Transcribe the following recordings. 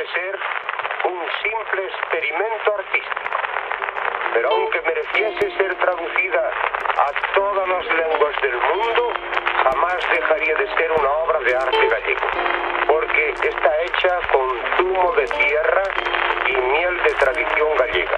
de ser un simple experimento artístico. Pero aunque mereciese ser traducida a todas las lenguas del mundo, jamás dejaría de ser una obra de arte gallego, porque está hecha con zumo de tierra y miel de tradición gallega.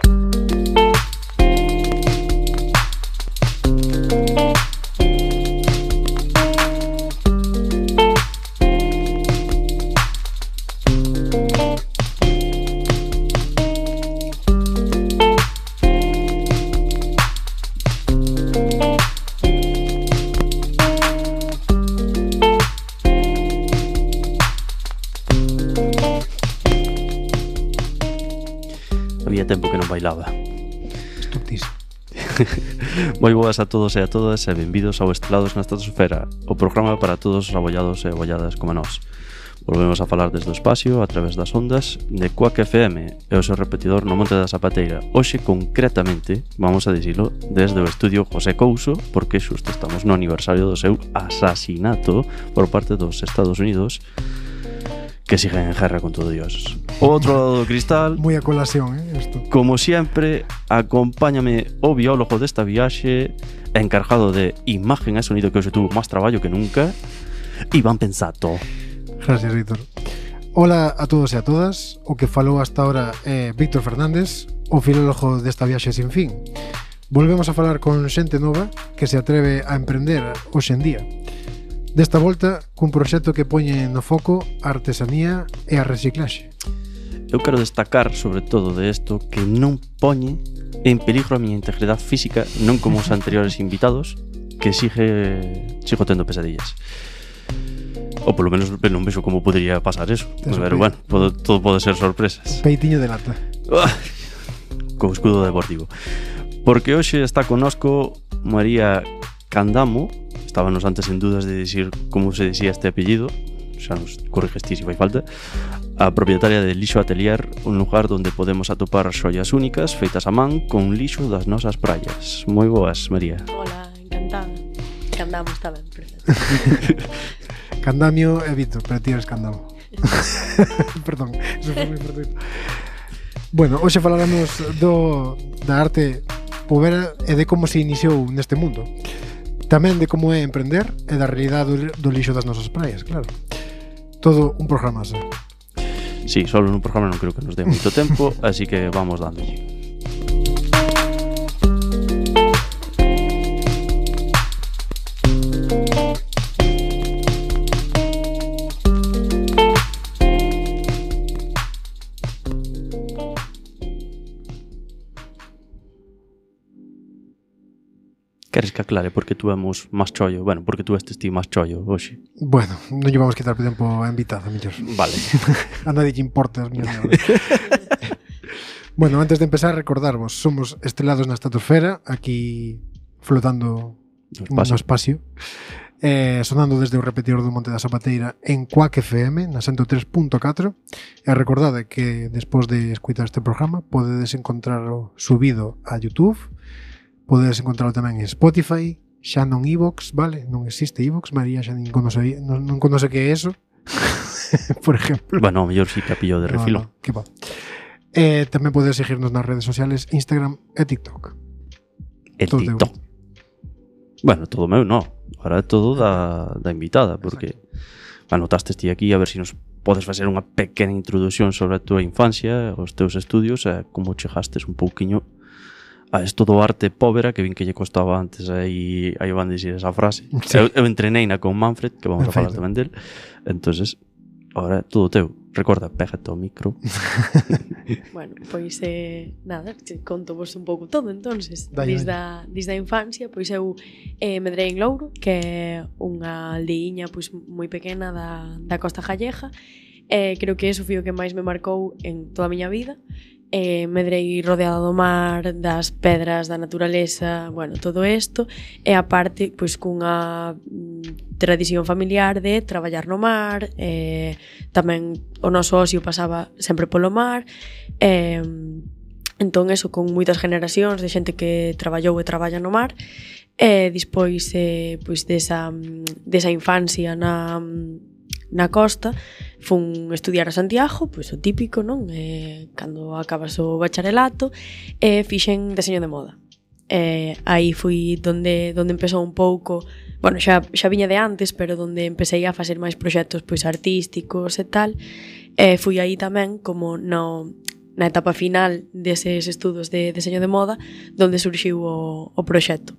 Tempo que non bailaba. Estuptísimo. Moi boas a todos e a todas e benvidos ao Estrelados na Estratosfera, o programa para todos os abollados e abolladas como nós. Volvemos a falar desde o espacio a través das ondas de Quack FM e o seu repetidor no Monte da Zapateira. Hoxe, concretamente, vamos a dicilo desde o estudio José Couso, porque xusto estamos no aniversario do seu asasinato por parte dos Estados Unidos, que siguen en guerra con todo Dios. O outro lado do cristal, moi a colación, isto. Como sempre, acompáñame o biólogo desta viaxe, encargado de imagen e sonido, que hoxe tuvo máis traballo que nunca, Iván Pensato. Gracias, Víctor. Hola a todos e a todas. O que falou hasta ahora é Víctor Fernández, o filólogo desta viaxe sin fin. Volvemos a falar con xente nova que se atreve a emprender hoxe en día. Desta volta, cun proxecto que poñe no foco a artesanía e a reciclaxe. Eu quero destacar, sobre todo, de isto, que non poñe en peligro a miña integridade física, non como os anteriores invitados, que sigo tendo pesadillas. Ou polo menos non vexo como podría pasar eso. Pero bueno, todo pode ser sorpresas. Peitiño de lata. Co escudo deportivo. Porque hoxe está connosco María Candamo. Estábamos antes en dudas de decir como se decía este apellido, xa nos corriges ti se fai falta, a propietaria de Lixo Atelier, un lugar onde podemos atopar xoias únicas feitas a man con lixo das nosas praias. Moi boas, María. Hola, encantada. Candamo está ben, perfecto. Candamio e Víctor, pero ti eres Candamo. Perdón, eso foi moi perfecto. Bueno, hoxe falaremos da arte povera e de como se iniciou neste mundo. Tamén de como é emprender e da realidade do lixo das nosas praias, claro. Todo un programa así. Sí, solo nun programa non creo que nos dé moito tempo, así que vamos dándolle. Queres que aclare porque tuvemos máis chollo? Bueno, porque tú estes ti máis chollo hoxe. Bueno, non lle vamos quitar tempo a invitada, mellor. Vale. A nadie lle importa as miñas neves. Bueno, antes de empezar, recordarvos, somos Estrelados na Estratosfera, aquí flotando no espacio. Sonando desde o repetidor do Monte da Zapateira en Quack FM, na 103.4. E recordade que despois de escutar este programa podedes encontrarlo subido a YouTube. Podedes encontrarlo tamén en Spotify, xa non iVoox, vale? Non existe iVoox, María xa non conoce que é eso. Por exemplo. Bueno, mellor si que a pillo de refilo. No, que va. Tamén podedes seguirnos nas redes sociales Instagram e TikTok. Todo TikTok. Bueno, todo meu, no. Ahora é todo da invitada, porque anotaste ti aquí a ver se nos podes facer unha pequena introdución sobre a tua infancia, os teus estudios e como chegastes un pouquiño a isto do arte povera, que vin que lle costaba antes aí van dicir esa frase. Sí. Eu entreneina con Manfred, que vamos a falar tamén del. Entonces, ahora todo teu. Recorda, pégate ao micro. Bueno, pois nada, conto vos un pouco todo, entonces. Desde a infancia, pois eu medrei en Louro, que é unha aldeiña pois moi pequena da Costa Gallega. Creo que eso foi o que máis me marcou en toda a miña vida. Medrei rodeada do mar, das pedras, da naturaleza, bueno, todo isto, e aparte, pois, cunha tradición familiar de traballar no mar, tamén o noso ocio pasaba sempre polo mar, entón, eso, con moitas generacións de xente que traballou e traballa no mar, e despois, pois, desa infancia na costa, fun estudiar a Santiago, pois o típico, non? Cando acabas o bacharelato, fixen deseño de moda. Aí fui donde empezou un pouco, bueno, xa viña de antes, pero donde empecé a facer máis proxectos pois artísticos e tal. Fui aí tamén como na etapa final deses estudos de deseño de moda, donde surxiu o proxecto.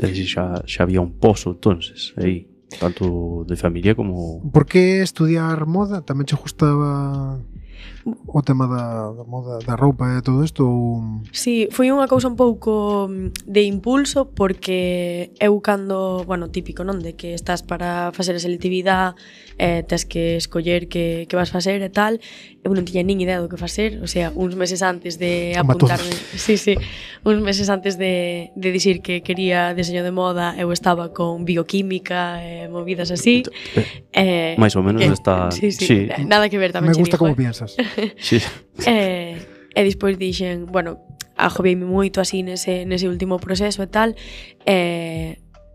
É dicir, xa había un pozo, entonces, aí, tanto de familia como... Por que estudiar moda? Tamén che gustaba o tema da moda, da roupa e todo isto? Ou... Sí, foi unha cousa un pouco de impulso, porque eu cando, bueno, típico, non? De que estás para facer a selectividade, tes que escoller que vas facer e tal. Eu non tiña nin idea do que facer, o sea, uns meses antes de apuntarme, uns meses antes de dicir que quería deseño de moda, eu estaba con bioquímica e movidas así. máis ou menos está... Sí. Nada que ver tamén. Me gusta como piensas. Sí. E despois dixen, bueno, agobiei-me moito así nese último proceso e tal,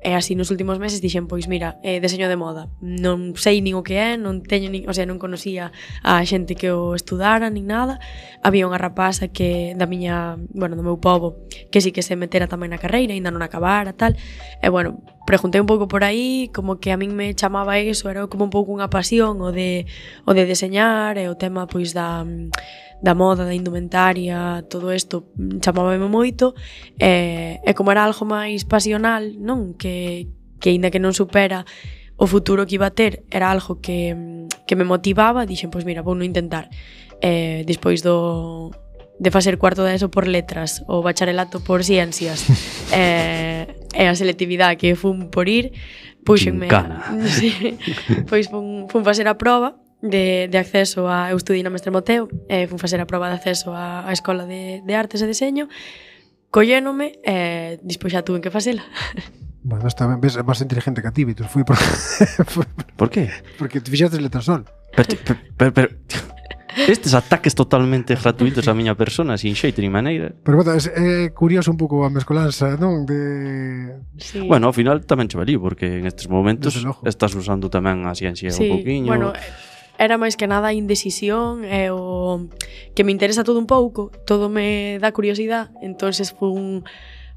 e así nos últimos meses dixen, pois mira, deseño de moda, non sei nin o que é, non teño nin, o sea, non conocía a xente que o estudara nin nada. Había unha rapaza que do meu pobo, que sí que se metera tamén na carreira, ainda non acabara tal. E bueno, preguntei un pouco por aí, como que a min me chamaba eso, era como un pouco unha pasión o de deseñar e o tema pois da moda, da indumentaria, todo isto chamábame moito, e como era algo máis pasional, non? Que aínda que non supera o futuro que iba a ter, era algo que me motivaba, dixen, pois mira, vou non intentar. Despois de facer cuarto de ESO por letras, o bacharelato por ciencias, e a selectividade que fun por ir, puxenme... Sí, pois fun facer a proba de acceso a... Eu estudei na Mestre Moteo, fun facer a proba de acceso á Escola de Artes e Deseño, collénome, e despois xa tuve que facela. Bueno, está ben, ves, máis inteligente que a ti, Vitor. Fui por... Por qué? Porque te fixaste letrasol. Pero estes ataques totalmente gratuitos a miña persona, sin xeito ni maneira. Pero bueno, é curioso un pouco a mescolanza, non? Sí. Bueno, ao final tamén che valí, porque en estes momentos estás usando tamén a ciencia un pouquiño. Bueno, era máis que nada a indecisión e o que me interesa todo un pouco, todo me dá curiosidade, entonces fun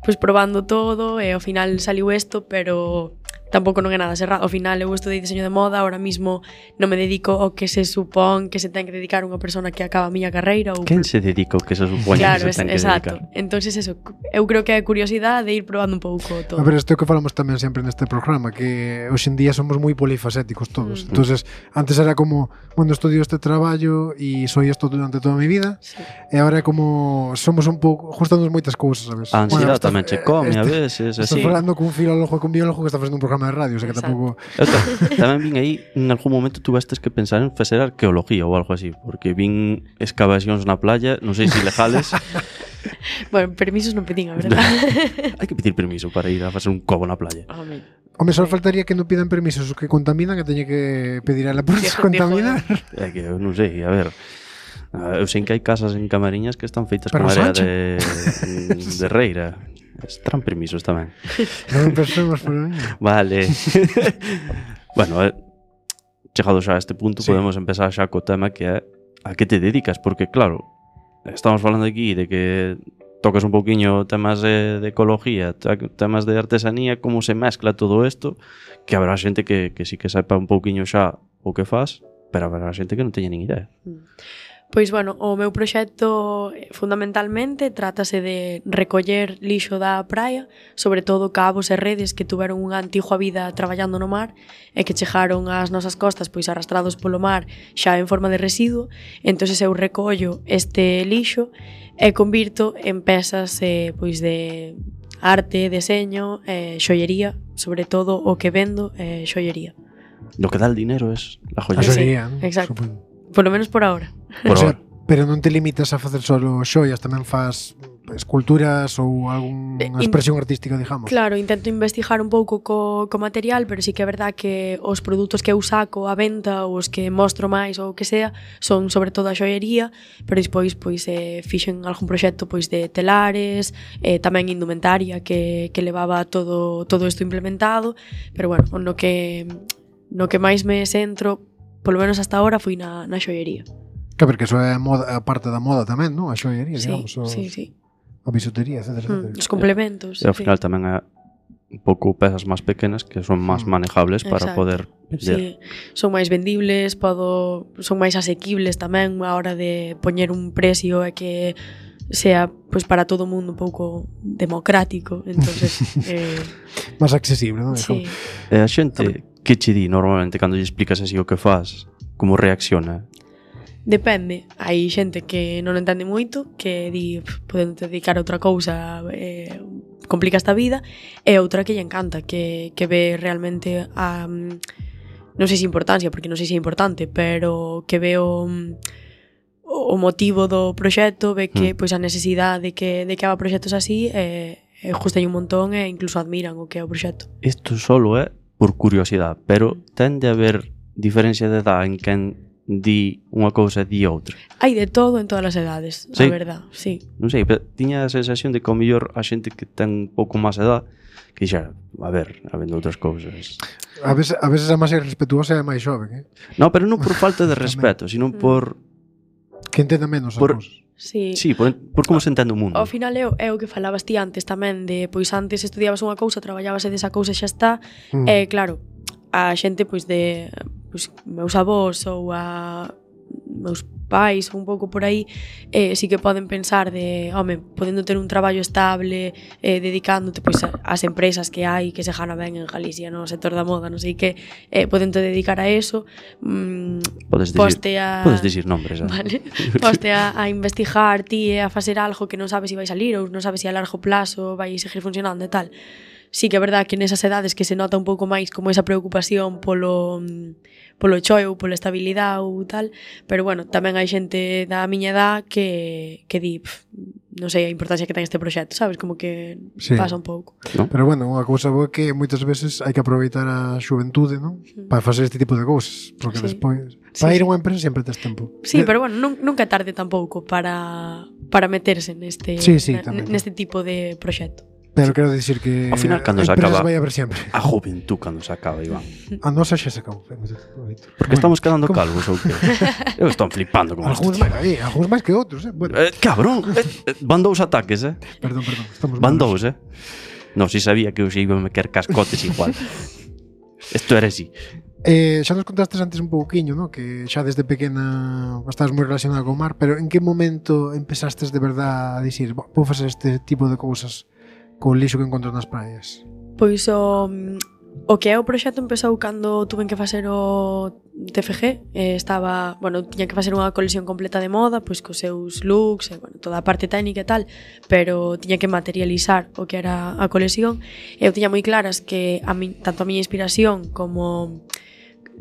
pois probando todo e ao final saliu isto, pero tampouco non é nada cerrado. Ao final eu estudei diseño de moda, ahora mismo non me dedico ao que se supón que se ten que dedicar unha persona que acaba a miña carreira. Quen se dedica ao que se supón claro, que se ten que dedicar? Entonces eso, eu creo que é curiosidade de ir probando un pouco todo. A ver, isto é o que falamos tamén sempre neste programa, que hoxe en día somos moi polifacéticos todos. Entonces, antes era como, bueno, estudio este traballo e soy isto durante toda a mi vida, e agora é como somos un pouco, juntamos moitas cousas, sabes? A ansiedade tamén che come a veces, así. Estás falando cun filólogo e cun biólogo que está facendo un programa de radio, o sea que tampouco... Tamén vin aí, en algún momento tuvestes que pensar en facer arqueología ou algo así, porque vin excavacións na playa, non sei se ilegales. Bueno, permisos non pedín, a verdade. Hai que pedir permiso para ir a facer un cobo na playa. Home, só faltaría que non pidan permisos os que contaminan, que teña que pedir a la por contaminar. É que eu non sei, a ver... Eu sei que hai casas en Camariñas que están feitas con área de reira. Estarán permisos tamén. Non pensemos por mí. Vale. Bueno, chegado xa a este punto, sí, podemos empezar xa co tema que é a que te dedicas, porque claro, estamos falando aquí de que tocas un poquinho temas de ecología, temas de artesanía, como se mezcla todo isto, que habrá xente que sí que saipa un poquinho xa o que faz, pero habrá xente que non teña nin idea. Pois, bueno, o meu proxecto fundamentalmente trátase de recoller lixo da praia, sobre todo cabos e redes que tuveron unha antigua vida traballando no mar e que chegaron ás nosas costas pois arrastrados polo mar xa en forma de residuo. Entón eu recollo este lixo e convirto en pezas pois de arte, deseño, xoiería, sobre todo o que vendo é xoiería. Lo que dá el dinero es la joyería. Sí, exacto. Por lo menos por ahora. Pero non te limitas a facer solo xoias, tamén faz esculturas ou algunha expresión artística, digamos. Claro, intento investigar un pouco co material, pero sí que é verdad que os produtos que eu saco a venta ou os que mostro máis ou o que sea son sobre todo a xoiería, pero despois pois fixen algún proxecto pois de telares, tamén indumentaria que levaba todo isto implementado, pero bueno, no que no que máis me centro, polo menos hasta ahora, foi na xoiería. Que porque eso é a parte da moda tamén, non? A xoiería, digamos. Sí. A bisutería, etc. Os complementos. E ao final tamén é un pouco pezas máis pequenas que son máis manejables para poder vender. Sí, son máis vendibles, son máis asequibles tamén a hora de poñer un precio e que sea pois para todo o mundo un pouco democrático, entonces máis accesible, non? Sí. E a xente que che di normalmente cando lle explicas así o que faz, como reacciona? Depende, hai xente que non entende moito, que di, podendo te dedicar a outra cousa, complica esta vida, e outra que lle encanta, que ve realmente a, non sei se importancia, porque non sei se é importante, pero que ve o motivo do proxecto, ve que pois a necesidade de que haga proxectos así, gustan un montón e incluso admiran o que é o proxecto. Isto solo é por curiosidade, pero tende a haber diferencia de edad en quen di unha cousa e di outra. Hai de todo en todas as edades, a verdad, sí. Non sei, pero tiña a sensación de que ao mellor a xente que ten un pouco máis edad que xa, a ver, habendo outras cousas. A veces a máis irrespetuosa é a máis xoven, No, pero non por falta de respeto, sino por que entenda menos as cousas. Sí, por como se entende o mundo. Ao final é o que falabas ti antes tamén, de pois antes estudiabas unha cousa, traballabas e desa cousa xa está, e claro, a xente pois de meus avós ou a meus pais un pouco por aí, sí que poden pensar de, home, podendo ter un traballo estable, dedicándote pois ás empresas que hai que se gana ben en Galicia, no sector da moda, non sei que, podendo dedicar a eso, podes dicir nombres, vale, poste a investigar ti e a facer algo que non sabes se vai salir ou non sabes se a largo plazo vai seguir funcionando e tal. Sí que é verdad que nesas edades que se nota un pouco máis como esa preocupación polo choio, pola estabilidade ou tal, pero bueno, tamén hai xente da miña edad que di, non sei a importancia que ten este proxecto, sabes, como que pasa un pouco. ¿No? Pero bueno, unha cousa boa é que moitas veces hai que aproveitar a xuventude, non? Para facer este tipo de cousas, porque despois para ir a unha empresa sempre tes tempo. Sí, pero bueno, nunca é tarde tampouco para meterse neste tipo de proxecto. Pero quero dicir que ao final, cando se acaba vai a ver sempre. A juventud cando se acaba, Iván. A nosa xa se acabou. Porque estamos quedando calvos ou que? Eu estou flipando con isto. Algúns máis que outros, Bueno. Cabrón, van dous ataques, Perdón, estamos van dous, Non, si sabía que eu xe iba a meter cascotes igual. Isto era así. Xa nos contastes antes un pouquiño, ¿no? Que xa desde pequena estabas moi relacionada co mar, pero en que momento empezaste de verdad a dicir, vou facer este tipo de cousas co lixo que encontro nas praias? Pois o que é o proxecto empezou cando tuven que facer o TFG, tiña que facer unha colección completa de moda, pois cos seus looks, toda a parte técnica e tal, pero tiña que materializar o que era a colección, e eu tiña moi claras que tanto a miña inspiración como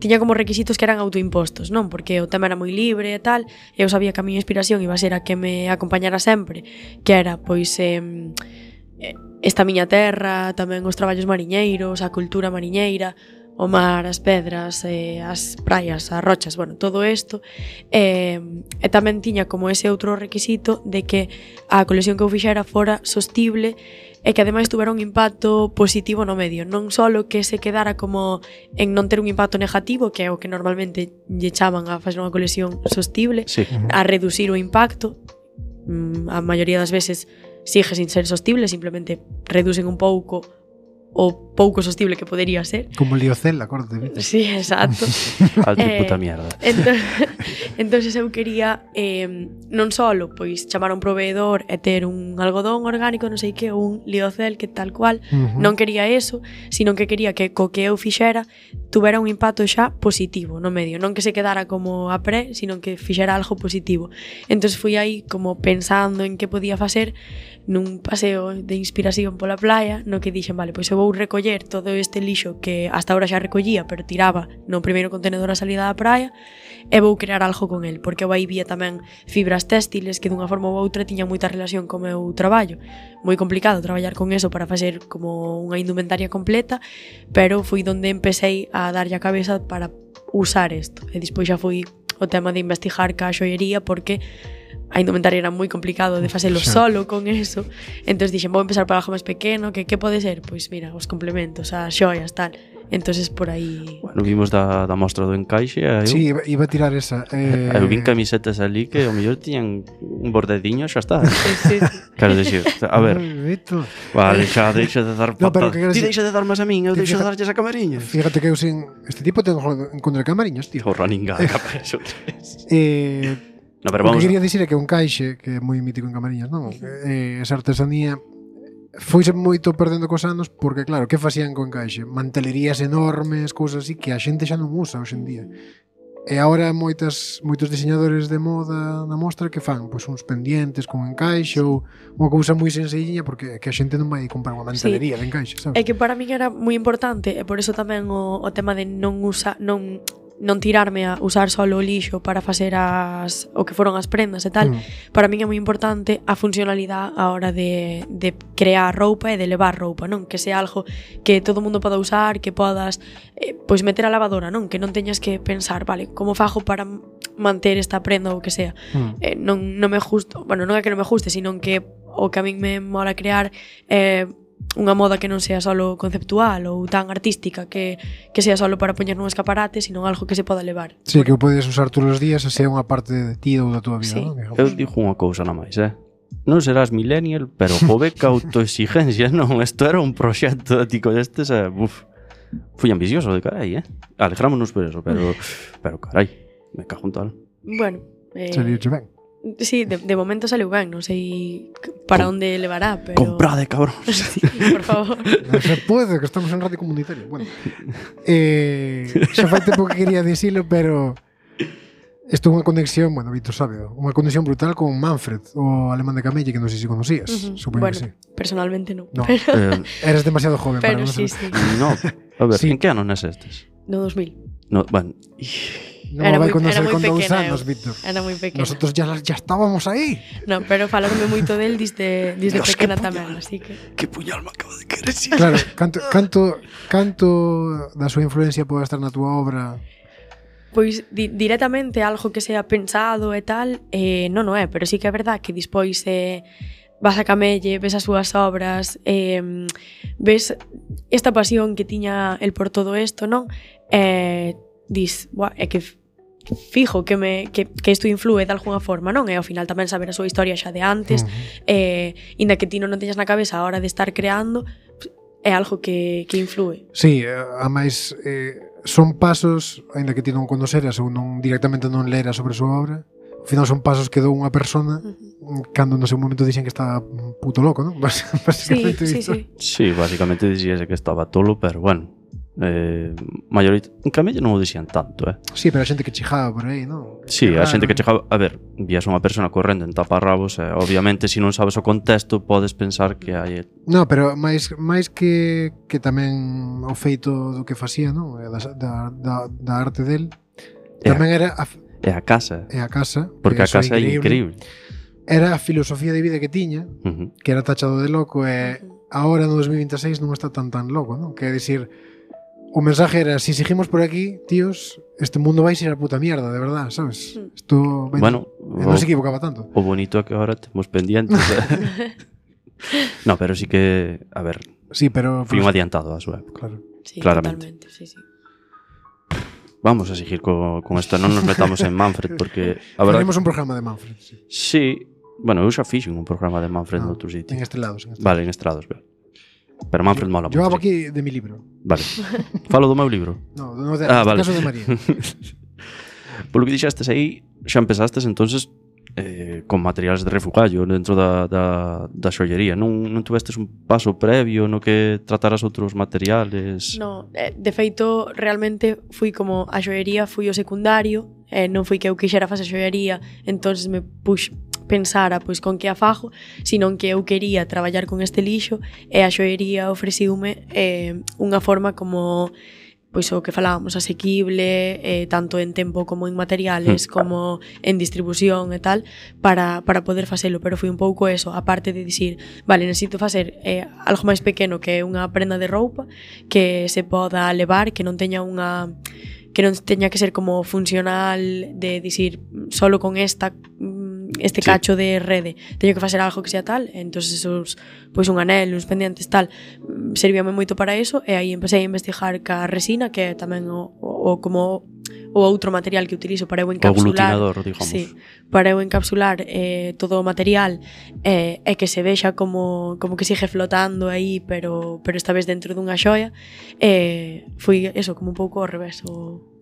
tiña como requisitos que eran autoimpostos, non? Porque o tema era moi libre e tal, e eu sabía que a miña inspiración iba a ser a que me acompañara sempre, que era, pois, esta miña terra, tamén os traballos mariñeiros, a cultura mariñeira, o mar, as pedras, as praias, as rochas, todo isto. E tamén tiña como ese outro requisito de que a colección que eu fixera fora sostible e que ademais tuvera un impacto positivo no medio, non só que se quedara como en non ter un impacto negativo, que é o que normalmente lle chaman a facer unha colección sostible, a reducir o impacto. A maioría das veces sigue sin ser sostible, simplemente reducen un pouco o pouco sostible que podería ser. Como Liocel, acorde. Sí, exacto. Alto puta mierda. Entonces eu quería non solo pois chamar a un proveedor e ter un algodón orgánico, non sei que, un Liocel que tal cual, non quería eso, sino que quería que co que eu fixera tuvera un impacto xa positivo no medio, non que se quedara como a pré, sino que fixera algo positivo. Entonces fui aí como pensando en que podía facer nun paseo de inspiración pola playa, no que dixen, vale, pois eu vou recoller todo este lixo que hasta ahora xa recollía, pero tiraba no primeiro contenedor a salida da praia, e vou crear algo con el, porque eu aí vía tamén fibras téxtiles que dunha forma ou outra tiñan moita relación co meu traballo. Moi complicado traballar con eso para facer como unha indumentaria completa, pero foi donde empecé a darlle a cabeza para usar isto. E despois xa foi o tema de investigar ca xoiería, porque a indumentaria era moi complicado de facelo solo con eso. Entón dixen, vou empezar por algo máis pequeno, que pode ser? Pois mira, os complementos, as xoias, tal. entonces por aí... Bueno, vimos da mostra do encaixe e Sí, iba a tirar esa. eu vin camisetas ali que ao mellor tiñan un bordediño e xa está. Sí. Quero dicir, a ver, Vito. vale, xa deixa de dar No, pero patas. que quero Ti dicir- deixa de darmas a min, eu Ti deixo de fija- darlles a camariñas. Fíjate que eu sin este tipo tengo en contra de camariñas, tío. O running gag, eso tres. No, No, pero o vamos. que quería dicir é que un caixe, que é moi mítico en Camariñas, non? Esa artesanía foise moito perdendo cos anos porque, claro, que facían con caixe? Mantelerías enormes, cousas así que a xente xa non usa hoxe en día. E agora moitos diseñadores de moda na mostra que fan pois uns pendientes con encaixe ou unha cousa moi sencilliña porque que a xente non vai comprar unha mantelería de encaixe, sabes? É que para min era moi importante e por eso tamén o tema de non tirarme a usar solo o lixo para facer o que foron as prendas e tal. Para min é moi importante a funcionalidade a hora de crear roupa e de levar roupa, non? Que sea algo que todo mundo poda usar, que podas pois meter a lavadora, non? Que non teñas que pensar, vale, como fago para manter esta prenda ou que sea. Non me gusta, bueno, non é que non me guste, sino que o que a min me mola crear unha moda que non sea solo conceptual ou tan artística que sea solo para poñer nun escaparate, sino algo que se poda levar. Sí, que o podes usar todos os días e sea unha parte de ti ou da tua vida, Sí. non? Digamos. Eu digo unha cousa na máis, non serás millennial, pero jove que autoexigencia, non? Isto era un proxecto ético destes, fui ambicioso de carai, alegrámonos por eso, pero carai, me cago en tal. Bueno, Salirche ben. sí, de momento saliu ben, non sei para onde levará, pero... Comprade, cabrón. Sí, por favor. Non se pode, que estamos en radio comunitaria. Bueno, xa fai tempo que quería dicilo, pero isto é unha conexión, bueno, Víctor sabe, unha conexión brutal con Manfred, o alemán de Camelle, que non sei se conocías. Supoño Bueno, que sí. personalmente non. No. Pero, Eres demasiado joven para pero non sí, saber. sí. No, a ver, Sí. en que ano nes estes? No 2000. No, bueno, Non vai conocer era moi con 2 pequena anos, eu. Víctor. Era moi pequena. Nosotros ya estábamos aí. No, pero falarme moito del desde Dios, pequena que tamén, puñal. así que... que puñal me acabo de querer decir. Claro, canto da súa influencia pode estar na túa obra? Pois directamente algo que sea pensado e tal, non é, pero sí que é verdad que despois vas a Camelle, ves as súas obras, ves esta pasión que tiña el por todo isto, non? Dis, é que fijo que isto influe de alguna forma, non? E ao final tamén saber a súa historia xa de antes, inda que ti non teñas na cabeza a hora de estar creando, é algo que influe. Sí, a máis son pasos, aínda que ti non conoceras ou non directamente non leras sobre a súa obra, ao final son pasos que dou unha persona cando no seu momento dixen que estaba puto loco, non? Sí, Básicamente sí, isto. sí. Sí, básicamente dixíase que estaba tolo, pero bueno, en Camelle non o dixían tanto, Sí, pero a xente que chijaba por aí, non? Sí, a xente que chegaba, a ver, vías unha persona correndo en taparrabos, obviamente se non sabes o contexto podes pensar que hai No, pero máis que tamén o feito do que facía, non? Da arte del, tamén era a casa, a casa, porque a eso casa é increíble. Era a filosofía de vida que tiña, Uh-huh. que era tachado de loco e agora no 2026 non está tan loco, non? Que é dicir, o mensaje era, si seguimos por aquí, tíos, este mundo vai ser a puta mierda, de verdad, sabes? Isto Bueno, non se equivocaba tanto. O bonito é que agora temos pendientes. No, pero sí que, a ver, Sí, pero fui un adiantado a súa época. claro. Sí, Claramente. totalmente, sí, sí. Vamos a seguir con esto, non nos metamos en Manfred porque a verdade, Faremos un programa de Manfred, sí. sí, bueno, eu xa fixen un programa de Manfred no outro sitio. En Estrelados. Vale, en Estrados, vale. Pero Manfred mola Yo moito. hablo sí. aquí de mi libro. Vale. Falo do meu libro. No, no de, Ah, neste vale. caso de María. Polo que dixestes aí, xa empezastes entonces con materiales de refugallo dentro da xollería. Non tuvestes un paso previo no que trataras outros materiales? No, de feito, realmente fui como a xoería, fui o secundario, non fui que eu quixera facer xoería, entonces me pensara pois con que a fago, senón que eu quería traballar con este lixo e a xoería ofreciume unha forma como pois o que falábamos, asequible, tanto en tempo como en materiales, como en distribución e tal, para poder facelo, pero foi un pouco eso, aparte de dicir, vale, necesito facer algo máis pequeno que unha prenda de roupa que se poda levar, que non teña que non teña que ser como funcional de dicir, solo con esta este cacho de rede, teño que facer algo que sea tal, entonces esos, pois un anel, uns pendientes tal, servíame moito para eso, e aí empecé a investigar ca resina, que é tamén como o outro material que utilizo para eu encapsular, o aglutinador, digamos. Sí, para eu encapsular todo o material e que se vexa como que sigue flotando aí, pero esta vez dentro dunha xoia. Foi eso, como un pouco ao revés.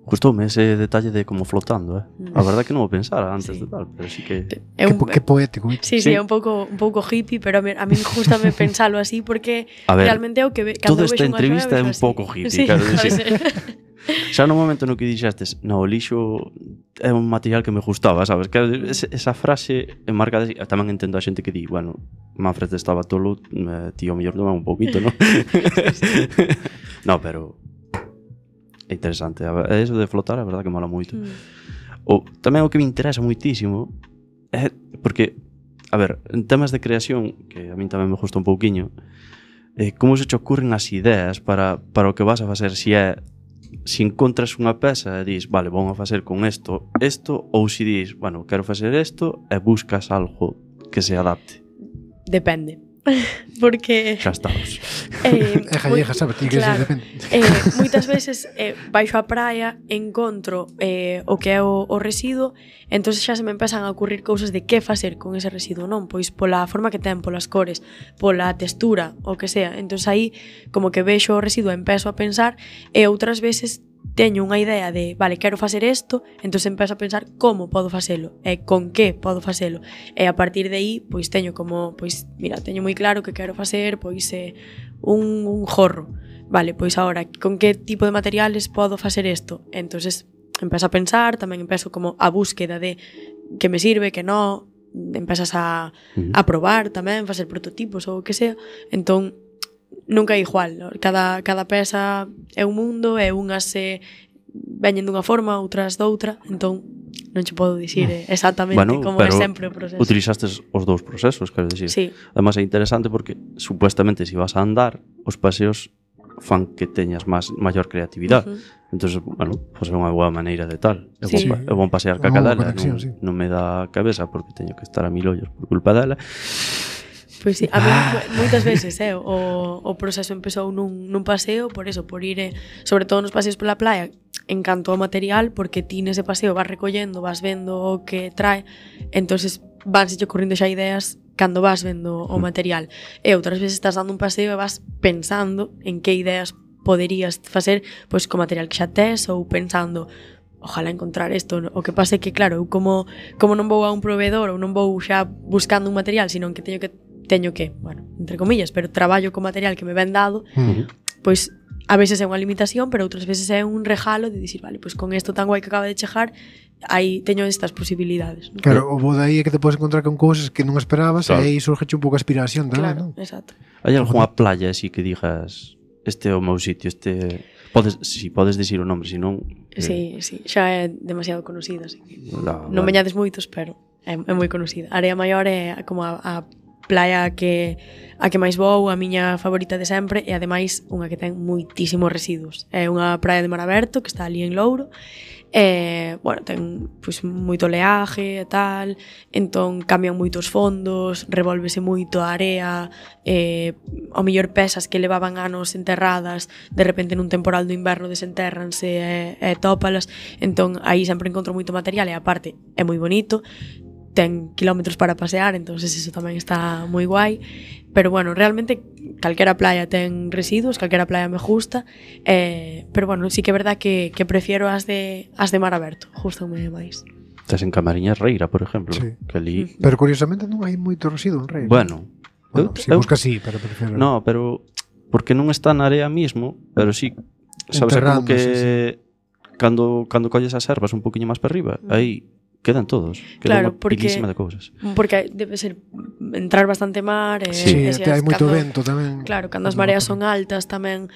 Gustoume ese detalle de como flotando, A verdad que non o pensara antes de tal, pero sí que... Que poético. Sí, é un pouco hippie, pero a mí gustame pensalo así porque realmente é o que toda esta entrevista é un pouco hippie, sí, claro. Xa no momento no que dixestes, no, o lixo é un material que me gustaba, sabes? Que esa frase enmarcada, tamén entendo a xente que di, bueno, Manfred estaba tolo, tío, mellor tomar un pouquito, ¿no? No, pero é interesante. Eso de flotar, a verdad que mola moito. Tamén o que me interesa moitísimo é porque, a ver, en temas de creación, que a min tamén me gusta un pouquiño, como se te ocurren as ideas para o que vas a facer, si encontras unha peza e dis, vale, vamos a facer con isto, ou si dis, bueno, quero facer isto e buscas algo que se adapte. Depende. Porque xa estamos. Jalleja, sabes, ti que claro, depende. Moitas veces baixo a praia encontro o que é o residuo, entonces xa se me empezan a ocurrir cousas de que facer con ese residuo, non? Pois pola forma que ten, polas cores, pola textura, o que sea. Entonces aí como que vexo o residuo e empezo a pensar, e outras veces teño unha idea de, vale, quero facer isto, entonces empezo a pensar como podo facelo e con que podo facelo. E a partir de aí, pois teño como, pois, mira, teño moi claro que quero facer, pois, un jorro. Vale, pois agora, con que tipo de materiales podo facer isto? Entonces empezo a pensar, tamén empezo como a búsqueda de que me sirve, que non, empezas a probar tamén, facer prototipos ou o que sea. Entón, nunca é igual, cada peza é un mundo, e unhas veñen dunha forma, outras doutra, entón non che podo dicir exactamente como é sempre o proceso. Utilizastes os dous procesos, quero dicir. Sí. Además é interesante porque supuestamente se vas a andar, os paseos fan que teñas maior creatividade. Entonces, bueno, pues é unha boa maneira de tal. É bon pasear ca cadela, non me dá cabeza porque teño que estar a 1000 ollos por culpa dela. Pois sí, a mí moitas veces o proceso empezou nun paseo, por eso, por ir, sobre todo nos paseos pola playa, encanto o material, porque ti nese paseo vas recollendo, vas vendo o que trae, entonces vanse ocurrindo xa ideas cando vas vendo o material. E outras veces estás dando un paseo e vas pensando en que ideas poderías facer pois co material que xa tes, ou pensando, ojalá encontrar isto. O que pasa é que, claro, eu como non vou a un proveedor ou non vou xa buscando un material, sino que teño que, bueno, entre comillas, pero traballo co material que me ven dado, pois a veces é unha limitación, pero outras veces é un regalo de dicir, vale, pois con isto tan guai que acaba de chegar, aí teño estas posibilidades, ¿no? Claro, o bo dai é que te podes encontrar con cousas que non esperabas, claro. E aí surge un pouco a aspiración tamén, claro, non? Exacto. Hai algunha playa así que digas, este é o meu sitio, podes dicir o nombre, senón... Sí, xa é demasiado conocida, así que non veñades moitos, pero é moi conocida. A Area Maior é como a playa a que máis vou, a miña favorita de sempre, e ademais unha que ten moitísimos residuos. É unha praia de mar aberto que está ali en Louro, e, bueno, ten pois moito oleaje e tal, entón cambian moitos fondos, revolvese moito a area, ao mellor pesas que levaban anos enterradas, de repente nun temporal do inverno desenterranse e tópalas, entón aí sempre encontro moito material, e aparte é moi bonito, ten kilómetros para pasear, entonces eso tamén está moi guai. Pero bueno, realmente calquera playa ten residuos, calquera playa me gusta, pero bueno, sí que é verdad que prefiero as de mar aberto, gustame máis. Estás en Camariñas Reira, por exemplo, sí. Que ali... Pero curiosamente non hai moito residuo en Reira. Bueno, si busca sí, pero prefiero... No, pero porque non está na área mismo, pero sí, sabes, como que sí. Cando colles as ervas un poquinho máis para arriba, aí quedan todos, quedan unha pilísima de cousas. Porque debe ser entrar bastante mar, sí, hai moito vento tamén. Claro, cando as mareas son altas tamén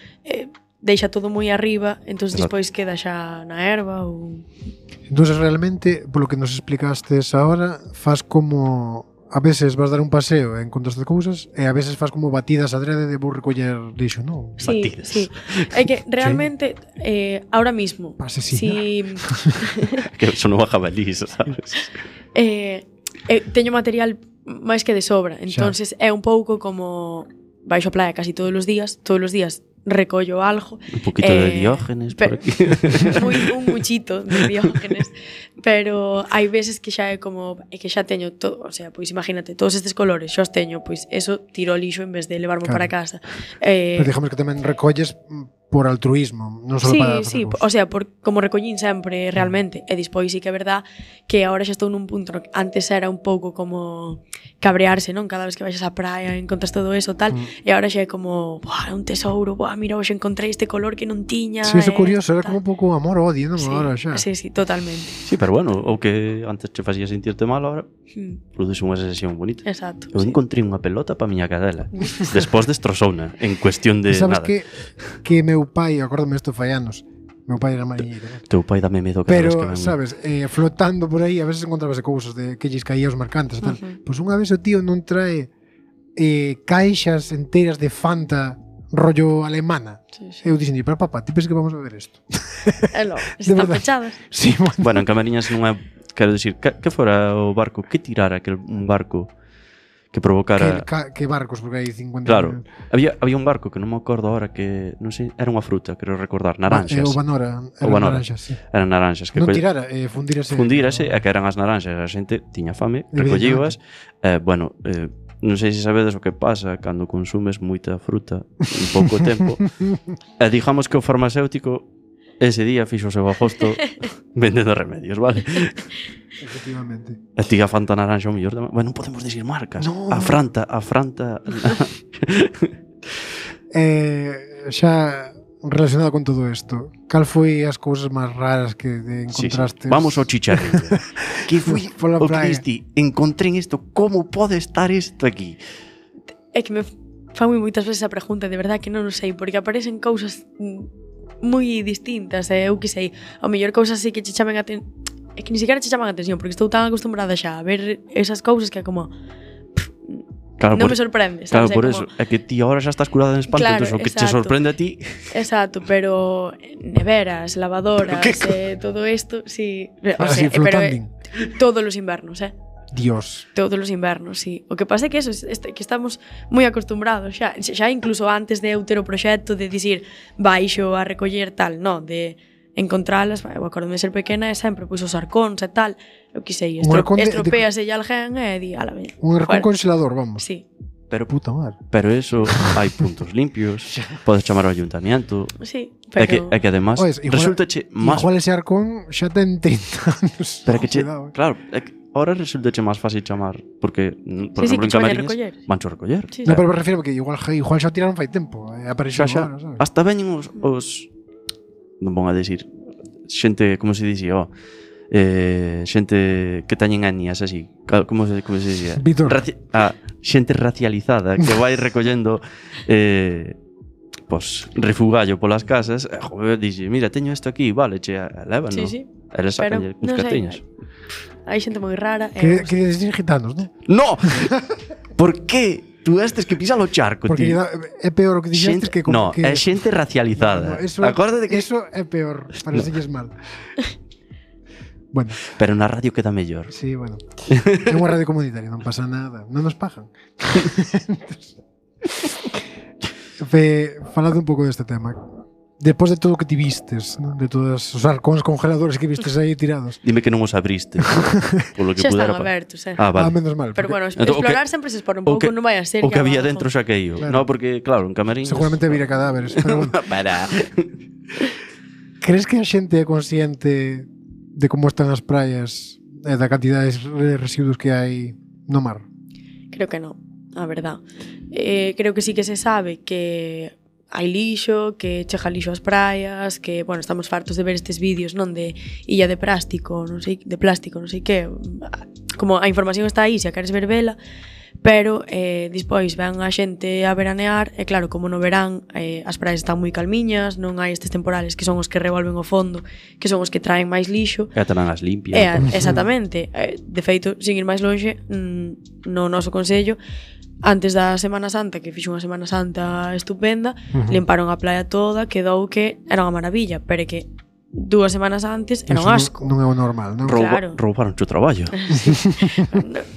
deixa todo moi arriba, entón despois queda xa na erva ou... Entón realmente, polo que nos explicastes agora, faz como a veces vas dar un paseo e encontraste cousas, e a veces faz como batidas adrede de vou recoller lixo, non? Sí, batidas. Sí. É que realmente ahora mismo si que son unha jabalís, sabes? teño material máis que de sobra, entonces é un pouco como baixo a playa casi todos os días recollo algo. Un poquito de Diógenes por aquí. Un muchito de Diógenes. Pero hai veces que xa é como que xa teño todo, o sea, pois imagínate, todos estes colores, xa os teño, pois eso tiro ao lixo en vez de levarmo para casa. Pero digamos que tamén recolles por altruismo, non só para... Sí, o sea, como recollín sempre realmente, e despois sí que é verdad que agora xa estou nun punto no que antes era un pouco como cabrearse, non? Cada vez que baixas á praia encontras todo eso tal, e agora xa é como, buah, é un tesouro, buah, mira, hoxe encontrei este color que non tiña. Sí, eso é curioso, era como un pouco amor o odio, non? Sí, agora xa. Sí, totalmente. Sí, pero bueno, o que antes che facía sentirte mal, agora produce unha sensación bonita. Exacto. Eu encontrei unha pelota pa miña cadela. Despois destrozouna en cuestión de sabes nada. Que meu pai, acórdame isto fai anos, meu pai era mariñeiro, ¿no? Teu pai dame medo cada vez que pero, ven. sabes, flotando por aí, a veces encontrábase cousas de que lles caía aos mercantes e tal. Pois unha vez o tío non trae caixas enteras de Fanta rollo alemana. Eu dixen, pero papá, ti pensas que vamos a ver isto? Están pechadas. Sí, bueno, en Camariñas non é, quero dicir, que fora o barco que tirara un barco que provocara... Que barcos, porque hai 50... Claro, había un barco que non me acordo ahora que, non sei, era unha fruta, quero recordar, naranxas. O Banora, naranxas, sí. Eran naranxas. Que non tirara, fundírase. Fundírase, e que eran as naranxas, a xente tiña fame, recollíoas, bueno, non sei se sabedes o que pasa cando consumes moita fruta en pouco tempo. E digamos que o farmacéutico ese día fixo o seu agosto vendendo remedios, vale? Efectivamente. A ti a Fanta naranxa o mellor tamén. Bueno, non podemos dicir marcas. No. A Franta. Xa relacionado con todo isto, cal foi as cousas máis raras que encontraste? Sí. Vamos ao chicharrillo. Que foi o praia. Cristi? Encontré isto. Como pode estar isto aquí? É que me fan moitas veces a pregunta, de verdad que non o sei, porque aparecen cousas moi distintas, eu que sei, ao mellor cousas así que che chamen a atención. É que ni siquiera che chaman a atención, porque estou tan acostumbrada xa a ver esas cousas que é como claro, non me sorprende, sabes? Claro, por como... eso. É que ti agora xa estás curada en espanto, claro, entón o que che sorprende a ti... Exacto, pero neveras, lavadoras, todo isto, sí. O sea, pero todos os invernos, Dios. Todos os invernos, sí. O que pasa é que eso, que estamos moi acostumbrados xa incluso antes de eu ter o proxecto de dicir baixo a recoller tal, non, de encontralas, eu acordome de ser pequena e sempre pois os arcóns e tal, eu que sei, estropease e alguén e di, ala, veña. Un arcón congelador, vamos. Sí. Pero puta madre. Pero eso, hai puntos limpios, podes chamar ao ayuntamiento. Sí, pero É que además resultache máis... Igual ese arcón xa ten 30 anos. Pero que che, claro, é que ahora resultache máis fácil chamar, porque, por exemplo, en Camariñas vancho a recoller. Sí, no, pero me refiero que igual xa tiraron fai tempo, apareceu agora, sabes? Hasta veñen os non vou a decir xente, como se dicía, xente que teñen etnias así, como se dicía? Xente racializada que vai recollendo refugallo polas casas, joder, dixe, mira, teño isto aquí, vale, che, levan, non? Sí. Eles sacan uns cartiños. Hai xente moi rara. Que decir gitanos, non? No! Por que? Tú estes que pisan o charco, porque tío. É peor o que dixestes que... No, é xente racializada. Acórdate que... Eso é peor, parecelles mal. Bueno. Pero na radio queda mellor. Sí, bueno. É unha radio comunitaria, non pasa nada. Non nos pagan. Falando un pouco deste tema. Despois de todo o que ti vistes, ¿no? De todos os arcóns congeladores que vistes aí tirados. Dime que non os abriste. Polo que xa pudera están abertos, menos mal. Pero bueno, explorar sempre se expone un pouco, non vai a ser. O que había dentro xa que eu. Claro. No, porque, claro, en Camariñas... Seguramente vira cadáveres. Pero bueno. Para. Crees que a xente é consciente de como están as praias e da cantidad de residuos que hai no mar? Creo que non, a verdad. Creo que sí que se sabe que hai lixo, que chega lixo ás praias, que, bueno, estamos fartos de ver estes vídeos, non, de illa de plástico, non sei que, como a información está aí, se a queres ver vela, pero despois ven a xente a veranear e claro, como no verán as praias están moi calmiñas, non hai estes temporales que son os que revolven o fondo, que son os que traen máis lixo, e tamén as limpias. Exactamente. De feito, sin ir máis longe, no noso consello, antes da Semana Santa, que fixo unha Semana Santa estupenda, limparon a playa toda, quedou que era unha maravilla, pero que 2 semanas antes era un asco. Non é o normal, non? Claro. Roubaron o traballo.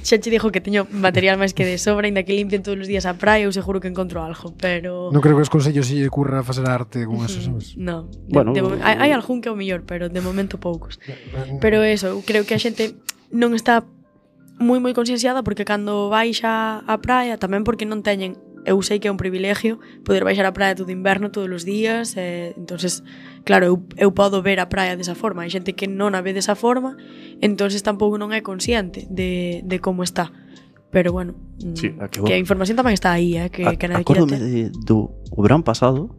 Xa che dixo que teño material máis que de sobra, ainda que limpien todos os días a praia, eu seguro que encontro algo, pero... Non creo que os consellos se lle curra facer arte con eso, sabes? Non, Bueno, hai algún que é o mellor, pero de momento poucos. Pero eso, eu creo que a xente non está moi concienciada porque cando baixa a praia, tamén porque non teñen, eu sei que é un privilegio poder baixar a praia todo inverno todos os días, entonces, claro, eu podo ver a praia desa forma. Hai xente que non a ve desa forma, entonces tampouco non é consciente de como está. Pero bueno, sí, que a información tamén está aí, que nadie quira ter. Acórdome do verán pasado,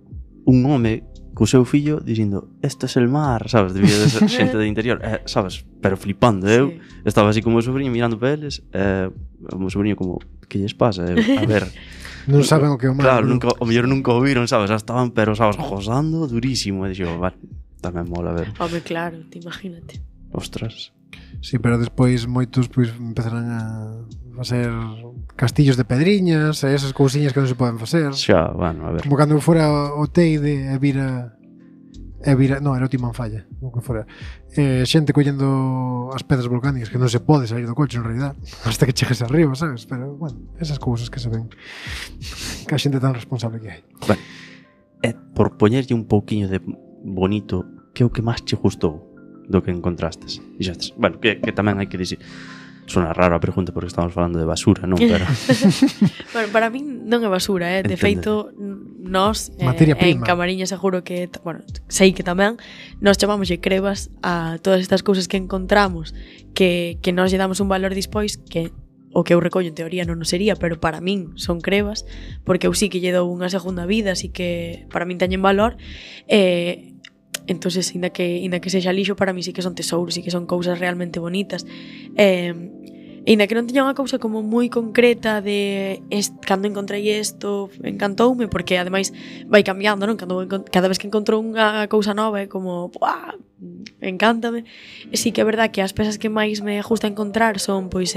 un home co seu fillo dicindo, este es el mar, sabes, debía de ser xente de interior, sabes, pero flipando, eu estaba así como o sobrinho mirando para eles, o meu sobrinho como, que lles pasa? A ver, non saben o que é o mar. Claro, o mellor nunca o viron, sabes, xa estaban, pero, sabes, gozando durísimo, e dixo, vale, tamén mola ver. Home, claro, te imagínate. Ostras. Sí, pero despois moitos pois empezarán a facer castillos de pedriñas e esas cousiñas que non se poden facer. Xa, bueno, a ver. Como cando fora o Teide e vira, non, era o Timón Falla, o que fora. Xente collendo as pedras volcánicas que non se pode sair do coche en realidad hasta que chegues arriba, sabes? Pero, bueno, esas cousas que se ven que a xente tan responsable que hai. Bueno, por poñerlle un pouquiño de bonito, que é o que máis che gustou do que encontrastes? Dixestes, bueno, que tamén hai que dicir, sona raro a pregunta porque estamos falando de basura, non? Pero... Bueno, para min non é basura, de feito nós en Camariña seguro que, bueno, sei que tamén nós chamámoslle crebas a todas estas cousas que encontramos que nós lle damos un valor dispois que o que eu recollo en teoría non sería, pero para min son crebas porque eu sí que lle dou unha segunda vida, así que para min teñen valor. Entonces, inda que sexa lixo, para mí sí que son tesouros, sí que son cousas realmente bonitas. Inda que non teña unha cousa como moi concreta de cando encontrei isto, encantoume, porque ademais vai cambiando, non? Cada vez que encontro unha cousa nova é como, ¡buah!, encántame. E sí que é verdad que as pezas que máis me gusta encontrar son, pois,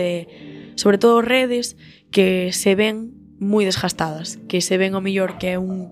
sobre todo redes que se ven moi desgastadas, que se ven ao mellor que é un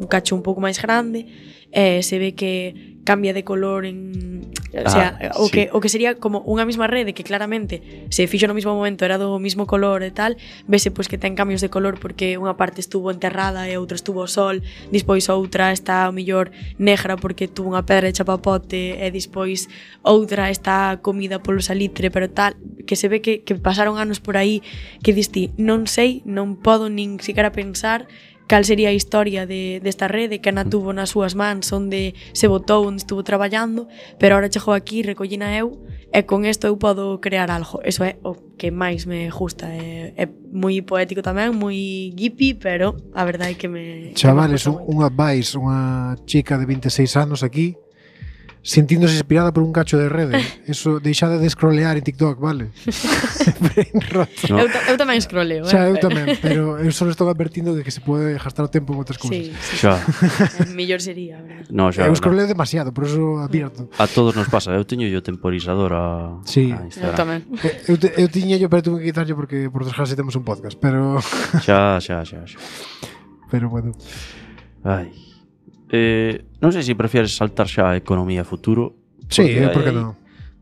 cacho un pouco máis grande, se ve que cambia de color o sea, sí. o que sería como unha mesma rede que claramente se fixo no mesmo momento, era do mesmo color e tal, vese pois que ten cambios de color porque unha parte estuvo enterrada e outra estuvo ao sol, despois outra está ao mellor negra porque tuvo unha pedra de chapapote e despois outra está comida polo salitre, pero tal, que se ve que pasaron anos por aí que diste, non sei, non podo nin siquiera pensar cal sería a historia desta rede que Ana tuvo nas súas mans, onde se botou, onde estuvo traballando, pero ahora chegou aquí, recollina eu, e con isto eu podo crear algo. Eso é o que máis me gusta. É moi poético tamén, moi hippie, pero a verdade é que me... Chavales, unha chica de 26 anos aquí, sentíndose inspirada por un cacho de rede. Eso, deixade de scrollear en TikTok, vale? No. Eu tamén scrolleo, xa, eu tamén, pero eu só estou advertindo de que se pode gastar o tempo en outras cousas. Sí. Xa. Mellor sería, verdad? No, xa, eu scrolleo demasiado, por eso advierto. A todos nos pasa, eu teño yo temporizador a Instagram. Eu tamén. Eu tiña yo, pero tuve que quitarlle porque por desgracia temos un podcast, pero... Xa. Pero bueno. Ai... non sei se prefieres saltar xa a economía futuro. Sí, por que non?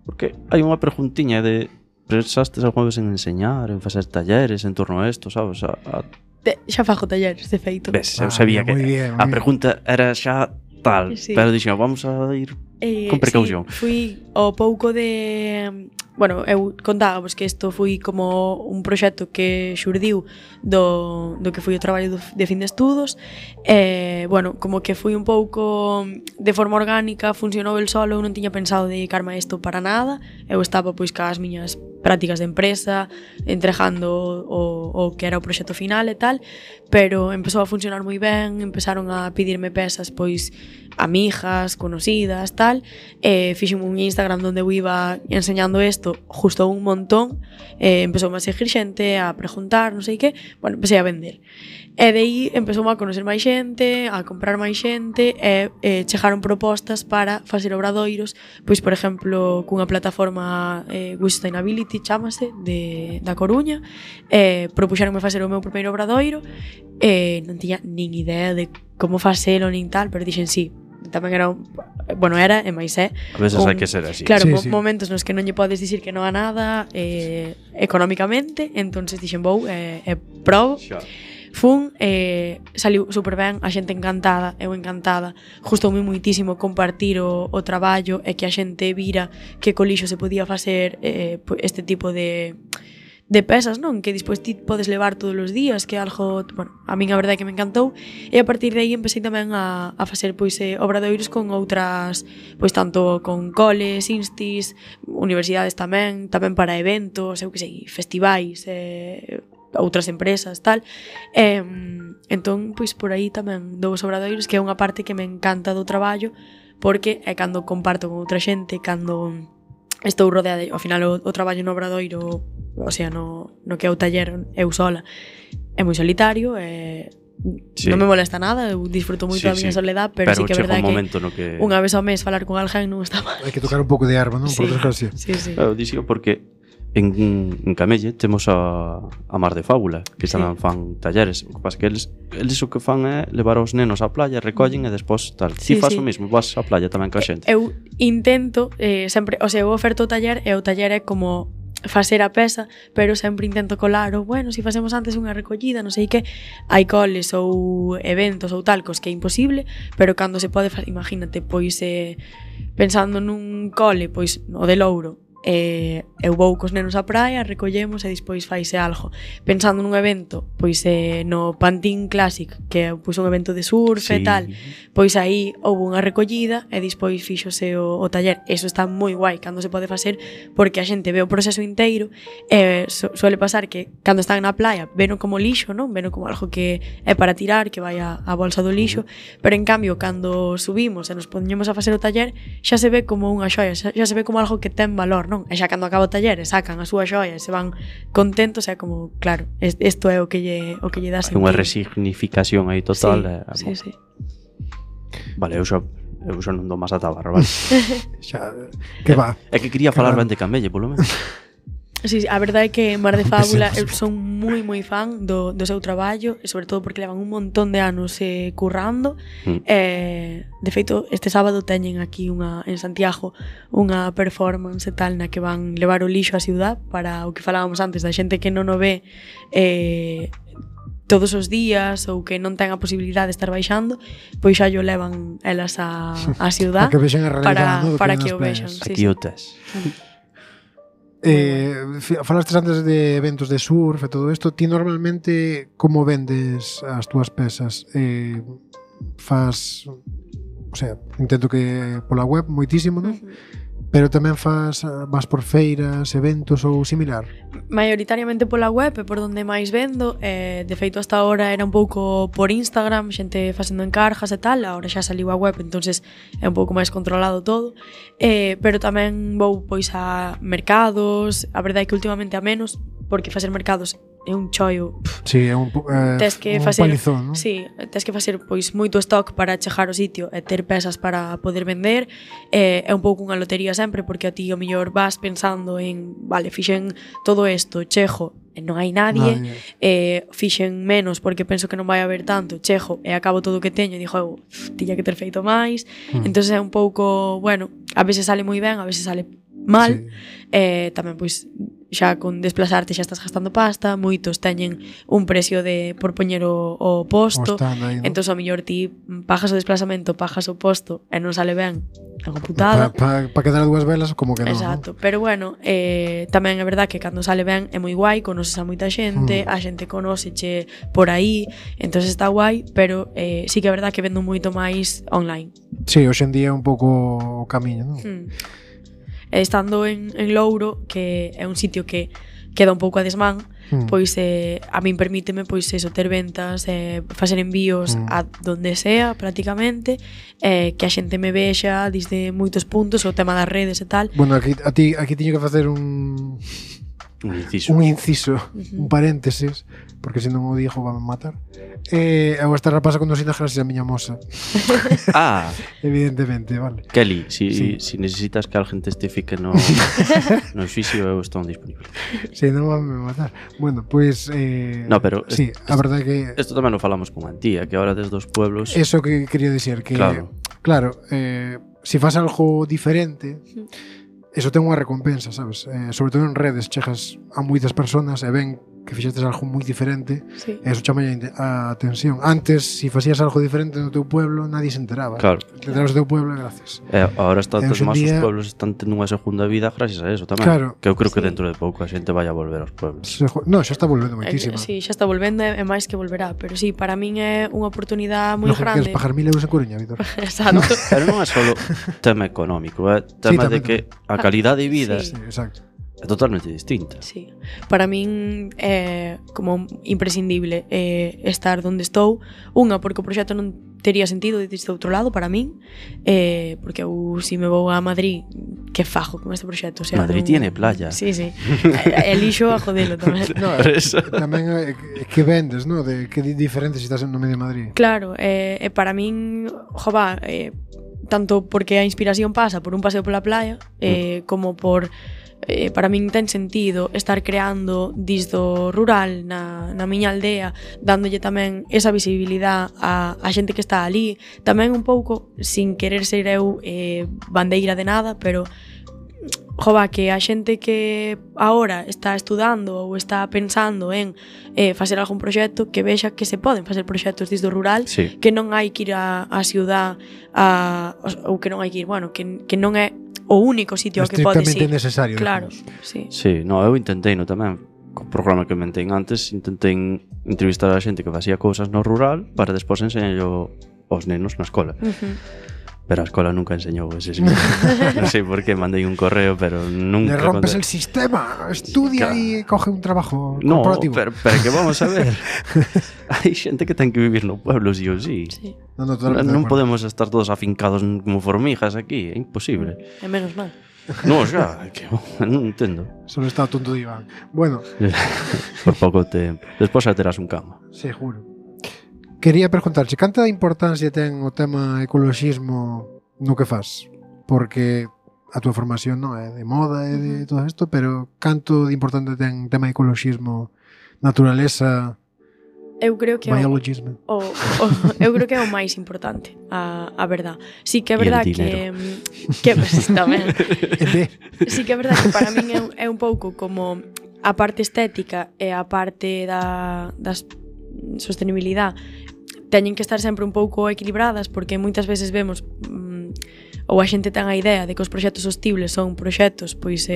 Porque hai unha preguntiña de pensastes algunha vez en enseñar, en facer talleres en torno a isto, sabes? Xa fago talleres, de feito. Ves, eu sabía que a pregunta era xa tal, sí. Pero dixen, vamos a ir con precaución. Sí, fui o pouco de... Bueno, eu contábamos que isto foi como un proxecto que xurdiu do que foi o traballo de fin de estudos. Bueno, como que foi un pouco de forma orgánica, funcionou el solo, eu non tiña pensado dedicarme a isto para nada. Eu estaba pois cas miñas prácticas de empresa, entregando o que era o proxecto final e tal, pero empezou a funcionar moi ben, empezaron a pedirme pezas pois amigas, conocidas, tal, fixen un Instagram onde eu iba enseñando isto, gustou un montón, empezou a seguir xente, a preguntar, non sei que, bueno, empecé a vender. E de aí empezou a conocer máis xente, a comprar máis xente, e chegaron propostas para facer obradoiros, pois, por exemplo, cunha plataforma Wish Sustainability, chámase, da Coruña, propuxeronme facer o meu primeiro obradoiro, non tiña nin idea de como facelo nin tal, pero dixen sí, tamén era bueno, era e máis é a veces hai que ser así. Claro, sí. momentos nos que non lle podes dicir que non a nada económicamente, entonces dixen vou probo. Fun, saliu super ben, a xente encantada, eu encantada. Gustoume muitísimo compartir o traballo e que a xente vira que co lixo se podía facer este tipo de pesas, non? Que despois ti podes levar todos os días, que é algo, bueno, a min a verdade é que me encantou, e a partir de aí empecé tamén a facer pois obradoiros con outras, pois tanto con coles, instis, universidades tamén para eventos, eu que sei, festivais, outras empresas, tal. Entón, pois por aí tamén dou os obradoiros, que é unha parte que me encanta do traballo, porque é cando comparto con outra xente, cando estou rodeada, ao final o traballo no obradoiro, o sea, no que é o taller, eu sola, é moi solitario, non me molesta nada, eu disfruto moito da miña soledad, pero sí que é verdade que unha vez ao mes falar con alguén non está mal. Hai que tocar un pouco de erva, non? Sí, por desgracia. sí. Eu dixo porque en Camelle temos a Mar de Fábula, que tamén fan talleres. O que pasa que eles o que fan é levar os nenos á playa, recollen e despois tal. Ti faz o mismo, vas á playa tamén ca xente. Eu intento sempre, o sea, eu oferto o taller e o taller é como facer a pesa, pero sempre intento colar bueno, se facemos antes unha recollida, non sei que, hai coles ou eventos ou talcos que é imposible, pero cando se pode, imagínate, pois pensando nun cole, pois o de Louro, eu vou cos nenos á praia, recollemos e despois faise algo. Pensando nun evento, pois no Pantín Classic, que é pois un evento de surf e tal, pois aí houve unha recollida e despois fíxose o taller. Eso está moi guai cando se pode facer, porque a xente ve o proceso inteiro e suele pasar que cando están na playa veno como lixo, non? Veno como algo que é para tirar, que vai a bolsa do lixo, pero en cambio cando subimos e nos poñemos a facer o taller, xa se ve como unha xoia, xa se ve como algo que ten valor, non? E xa cando acaba o taller e sacan a súa xoia e se van contentos, é como, claro, isto é o que lle dá sentido. Unha resignificación aí total. Sí. Vale, eu xa non dou máis a tabarra, vale? Xa, que va. É que quería falar ben de Camelle, polo menos. Sí, a verdade é que Mar de Fábula eu son moi fan do seu traballo, e sobre todo porque levan un montón de anos currando. De feito, este sábado teñen aquí en Santiago unha performance e tal na que van levar o lixo á ciudad, para o que falábamos antes da xente que non o ve todos os días ou que non ten a posibilidade de estar baixando, pois xa yo levan elas á ciudad para que o vexan. Aquí o tes. Falastes antes de eventos de surf e todo isto. Ti normalmente como vendes as túas pesas? Fas, o sea, intento que pola web moitísimo, non? Pero tamén vas por feiras, eventos ou similar? Maioritariamente pola web é por onde máis vendo. De feito, hasta ahora era un pouco por Instagram, xente facendo encargas e tal. Ahora xa saliu a web, entonces é un pouco máis controlado todo. Pero tamén vou pois a mercados. A verdade é que últimamente a menos, porque facer mercados é un chollo. Sí, é un palizón, non? Sí, tes que facer pois moito stock para chegar ao sitio e ter pesas para poder vender. É un pouco unha lotería sempre, porque a ti o mellor vas pensando en, vale, fixen todo isto, chego e non hai nadie. Fixen menos porque penso que non vai haber tanto, chego e acabo todo o que teño e dixo, tiña que ter feito máis. Entonces é un pouco, bueno, a veces sale moi ben, a veces sale mal. Tamén pois xa con desplazarte xa estás gastando pasta, moitos teñen un precio por poñer o posto, entón ao mellor ti pagas o desplazamento, pagas o posto e non sale ben, é unha putada. Para quedar a dúas velas como que non. Exacto, pero bueno, tamén é verdad que cando sale ben é moi guai, conoces a moita xente, a xente conóceche por aí, entón está guai, pero sí que é verdad que vendo moito máis online. Sí, hoxe en día é un pouco o camiño, non? Estando en Louro, que é un sitio que queda un pouco a desmán, pois a min permíteme pois eso, ter ventas, facer envíos a donde sea prácticamente, que a xente me vexa desde moitos puntos, o tema das redes e tal. Bueno, aquí tiño que facer un inciso, un paréntesis, porque se non o digo van matar. Eu esta rapaza conducina gracias a miña moza. Evidentemente, vale. Kelly, si necesitas que alguén testifique no xuicio, eu estou disponible. Si, non van matar. Bueno, pois... no, pero... Sí, a verdade que... Isto tamén lo falamos con Antía, que ahora desde os pueblos... Eso que quería dicir, que... Claro, si faz algo diferente... Eso ten unha recompensa, sabes? Sobre todo en redes, chegas a moitas personas e ven que fixestes algo moi diferente e eso chama a atención. Antes, si facías algo diferente no teu pueblo, nadie se enteraba. Claro. Te enteras do teu pueblo e gracias. Ahora está todos máis os pueblos están tendo unha segunda vida gracias a eso tamén. Claro. Que eu creo que dentro de pouco a xente vai a volver aos pueblos. No, xa está volvendo moitísimo. Sí, xa está volvendo e máis que volverá. Pero sí, para min é unha oportunidade moi grande. Queres pagar 1.000 euros en Coruña, Víctor? Exacto. Pero non é solo tema económico, é tema de que a calidade de vida exacto. É totalmente distinta. Sí. Para min é como imprescindible estar onde estou. Unha, porque o proxecto non tería sentido desde outro lado para min, porque eu si me vou a Madrid, que fajo con este proxecto? O sea, Madrid tiene playa. Sí. Elixo a jodelo tamén. No, tamén que vendes, no? De que diferente se estás no medio de Madrid. Claro, para min, jova, tanto porque a inspiración pasa por un paseo pola playa, como por... para min ten sentido estar creando disdo rural na miña aldea, dándolle tamén esa visibilidade a xente que está ali, tamén un pouco sin querer ser eu bandeira de nada, pero jova, que a xente que agora está estudando ou está pensando en facer algún proxecto, que vexa que se poden facer proxectos disdo rural, que non hai que ir a ciudad ou que non hai que ir, bueno, que non é o único sitio que podes ir. Estrictamente necesario. Claro, sí. Sí, no, eu intentei no tamén, co programa que mentei antes, intentei entrevistar a xente que facía cousas no rural para despois enseñarlo aos nenos na escola. Pero a escola nunca enseñou ese sistema. Non sei por qué, mandei un correo, pero nunca... Le rompes el sistema, estudia e coge un trabajo corporativo. No, pero que vamos a ver. Hai xente que ten que vivir no pueblo, sí ou sí. Non podemos estar todos afincados como formigas aquí, é imposible. É menos mal. No, xa, que non entendo. Solo está tonto de Iván. Bueno. Por pouco tempo. Despois xa terás un cama. Seguro. Quería preguntarche, canta importancia ten o tema ecoloxismo no que faz? Porque a túa formación non é de moda e de todo isto, pero canto de importante ten o tema ecoloxismo, naturaleza, eu creo que biologismo? Eu creo que é o máis importante, a verdad. Sí que é verdad que pues, tamén. Sí que é verdad que para min é un pouco como a parte estética e a parte da sostenibilidade teñen que estar sempre un pouco equilibradas, porque moitas veces vemos ou a xente ten a idea de que os proxectos sostibles son proxectos pois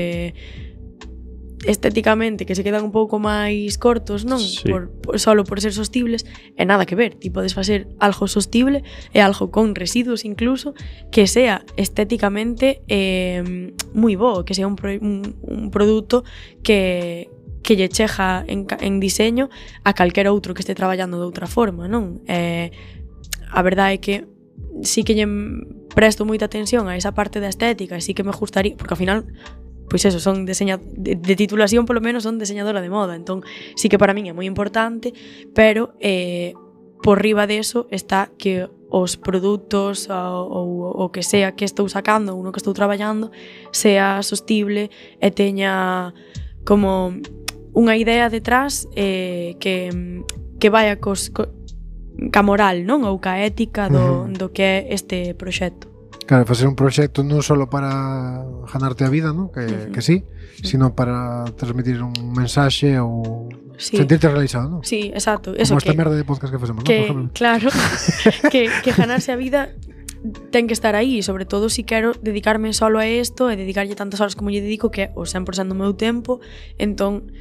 estéticamente que se quedan un pouco máis cortos, non? Sí. Solo por ser sostibles, e nada que ver. Ti podes facer algo sostible e algo con residuos incluso que sea estéticamente moi bo, que sea un produto que lle cheja en diseño a calquera outro que este traballando de outra forma, non? A verdade é que sí que lle presto moita atención a esa parte da estética e sí que me gustaría, porque ao final pois eso, son de titulación polo menos son diseñadora de moda, entón sí que para min é moi importante, pero por riba de eso está que os produtos ou o que sea que estou sacando ou no que estou traballando sea sostible e teña como unha idea detrás que vaya ca moral, non? Ou ca ética do que é este proxecto. Claro, facer un proxecto non só para ganarte a vida, ¿no? Que sí, sino para transmitir un mensaxe ou sentirte realizado, ¿no? Sí, exacto. Como esta merda de podcast que facemos, ¿no? Claro, que ganarse a vida ten que estar aí, sobre todo si quero dedicarme solo a isto e dedicarlle tantas horas como lle dedico, que é o 100% do meu tempo, entón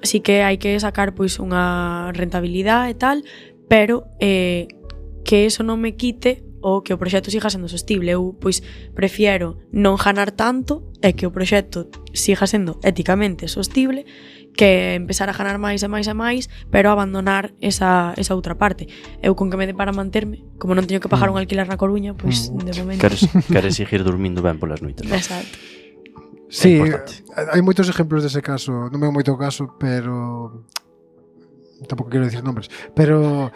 sí que hai que sacar pois unha rentabilidade e tal, pero que eso non me quite o que o proxecto siga sendo sostible. Eu, pois, prefiero non ganar tanto e que o proxecto siga sendo éticamente sostible que empezar a ganar máis e máis e máis, pero abandonar esa outra parte. Eu con que me dé para manterme, como non teño que pagar un alquiler na Coruña, pois, de momento... Queres seguir dormindo ben polas noites. Exacto. Sí, importante. hai moitos exemplos dese caso, non me moito caso, pero tampouco quero dicir nombres, pero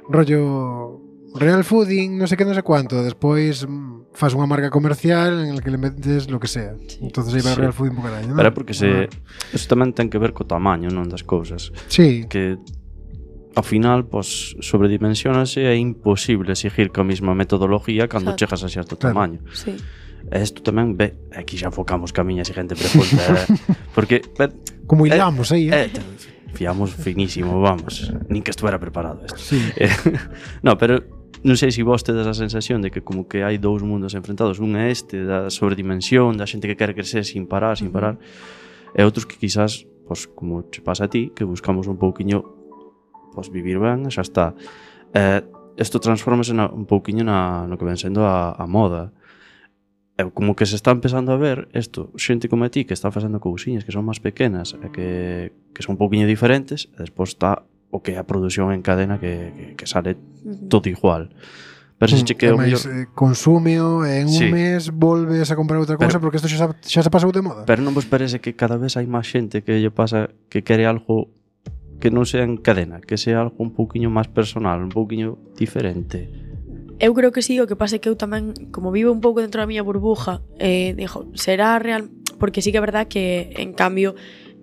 rollo real fooding, non sei que, non sei cuánto, despois faz unha marca comercial en el que le metes lo que sea. Entonces aí vai Sí. real fooding po carallo, non? Pero é porque eso tamén ten que ver co tamaño, non, das cousas. Sí, Que ao final, pois, sobredimensionase e é imposible seguir coa mesma metodología cando Exacto. chegas a certo Claro. tamaño. Sí. E isto tamén, aquí xa enfocamos que a miña seguinte pregunta, porque como hilamos aí, fiamos finísimo, vamos, nin que estuvera preparado isto. Sí. No, pero non sei se vos tedes a sensación de que como que hai dous mundos enfrentados, un é este da sobredimensión, da xente que quere crecer sin parar, e outros que quizás, pois, como che pasa a ti, que buscamos un pouquiño pois vivir ben, xa está. Isto transformase un pouquiño no que ven sendo a moda. Como que se está empezando a ver isto, xente como a ti que está facendo cousiñas que son máis pequenas e que son un pouquiño diferentes, e despois está o que é a produción en cadena que sale todo igual. Pero se che que o mellor... consúmeo, en un Sí. mes volves a comprar outra cousa porque isto xa se pasou de moda. Pero non vos parece que cada vez hai máis xente que lle pasa que quere algo que non sea en cadena, que sea algo un pouquiño máis personal, un pouquiño diferente? Eu creo que sí, o que pasa é que eu tamén, como vivo un pouco dentro da miña burbuja, digo, será real, porque sí que é verdad que, en cambio,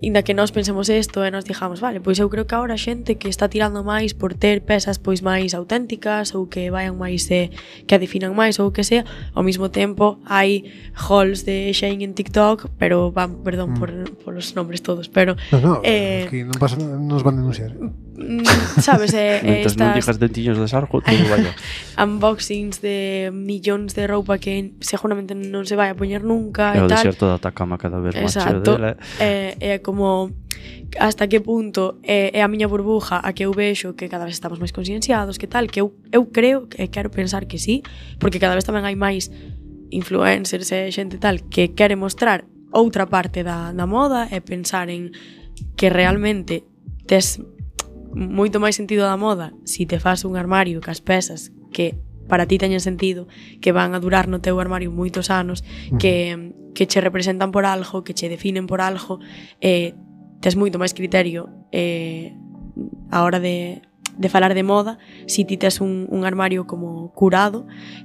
inda que nós pensemos isto e nos digamos, vale, pois eu creo que agora a xente que está tirando máis por ter pezas pois máis auténticas ou que vayan máis que a definan máis ou o que sea, ao mesmo tempo hai hauls de Shein en TikTok, pero perdón por os nombres todos, pero No, aquí non pasa nada, nos van a denunciar. sabes, Mentres non digas dentiños de sarjo, todo vaya. unboxings de millóns de roupa que seguramente non se vai a poñer nunca É e o tal. deserto da Atacama cada vez máis cheo Exacto. dela. É como hasta que punto é a miña burbuja a que eu vexo que cada vez estamos máis conscienciados, que tal, que eu creo e quero pensar que sí, porque cada vez tamén hai máis influencers e xente tal que quere mostrar outra parte da moda e pensar en que realmente tes moito máis sentido da moda si te fas un armario cas pezas que para ti teñen sentido, que van a durar no teu armario moitos anos, que che representan por algo, que che definen por algo, tes moito máis criterio a hora de falar de moda si ti tes un armario como curado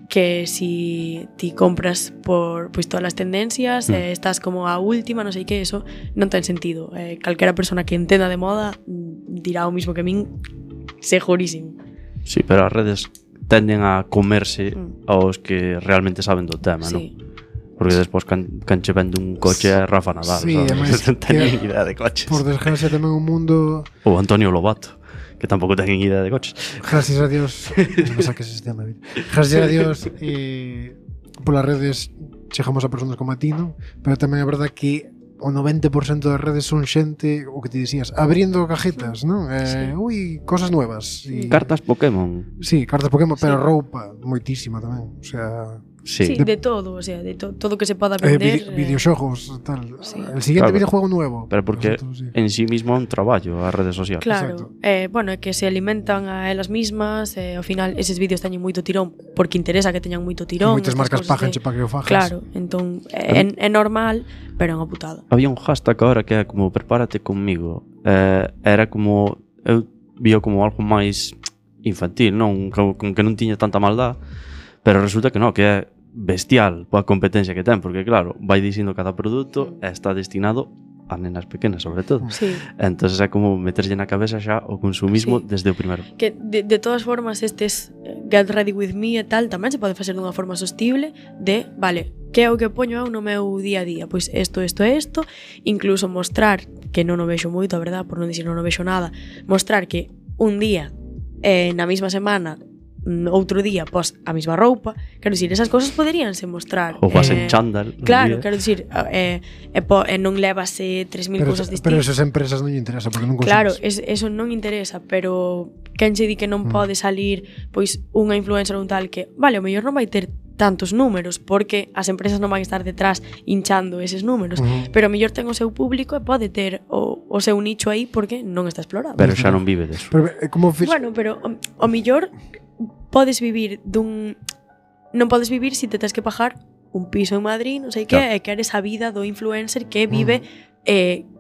que si ti compras por pois todas as tendencias estás como a última, non sei que, eso non ten sentido. Calquera persona que entenda de moda dirá o mismo que min, segurísimo. Sí, pero as redes tenden a comerse aos que realmente saben do tema, Sí. non? Porque despois can che vende un coche a Rafa Nadal, Sí, además, non teñen idea de coches. Por desgracia tamén un mundo, Ou Antonio Lobato, que tampouco teñen idea de coches. gracias a Dios, non me saques ese tema, gracias a Dios, polas redes chegamos a persoas como a ti, non? Pero tamén é verdade que o 90% das redes son xente, o que te dicías, abriendo cajetas, non? Ui, cosas nuevas. Cartas Pokémon. Sí, cartas Pokémon, pero Sí. roupa, moitísima tamén. O sea, Sí. Sí, de todo, o sea, de todo que se poda vender. videoxogos, tal. Sí. El siguiente Claro. videojuego nuevo. Pero porque Nosotros, sí. en sí mismo é un traballo as redes sociales. Claro, bueno, é que se alimentan a elas mismas, ao final eses vídeos teñen moito tirón porque interesa que teñan moito tirón. Moitas estas marcas cousas pájanche para que o fajas. Claro, entón é normal, pero é unha putada. Había un hashtag agora que é como prepárate conmigo. Era como eu vio como algo máis infantil, non? Como que non tiña tanta maldad, pero resulta que non, que é bestial poa competencia que ten, porque claro, vai dicindo cada produto e está destinado a nenas pequenas, sobre todo. Sí. Entonces é como meterlle na cabeza xa o consumismo Sí. desde o primeiro. Que de todas formas estes Get Ready With Me e tal tamén se pode facer dunha forma sostible de, vale, que é o que poño eu no meu día a día? Pois isto, incluso mostrar, que non o vexo moito, a verdad, por non dicir non o vexo nada, mostrar que un día na mesma semana outro día pos a mesma roupa, quero dicir, esas cousas poderíanse mostrar. Ou vas en chándal. un Claro, día. quero dicir, non levas 3.000 cousas Pero distintas. esas empresas non lle interesa porque non consumes. Claro, eso non interesa, pero quen che di que non pode salir pois unha influencer ou un tal que, vale, o mellor non vai ter tantos números porque as empresas non van estar detrás hinchando eses números, pero o mellor ten o seu público e pode ter o seu nicho aí porque non está explorado. Pero xa non vive deso. Pero como Bueno, pero o mellor podes vivir non podes vivir si te tens que pagar un piso en Madrid, non sei que, e queres a vida do influencer que vive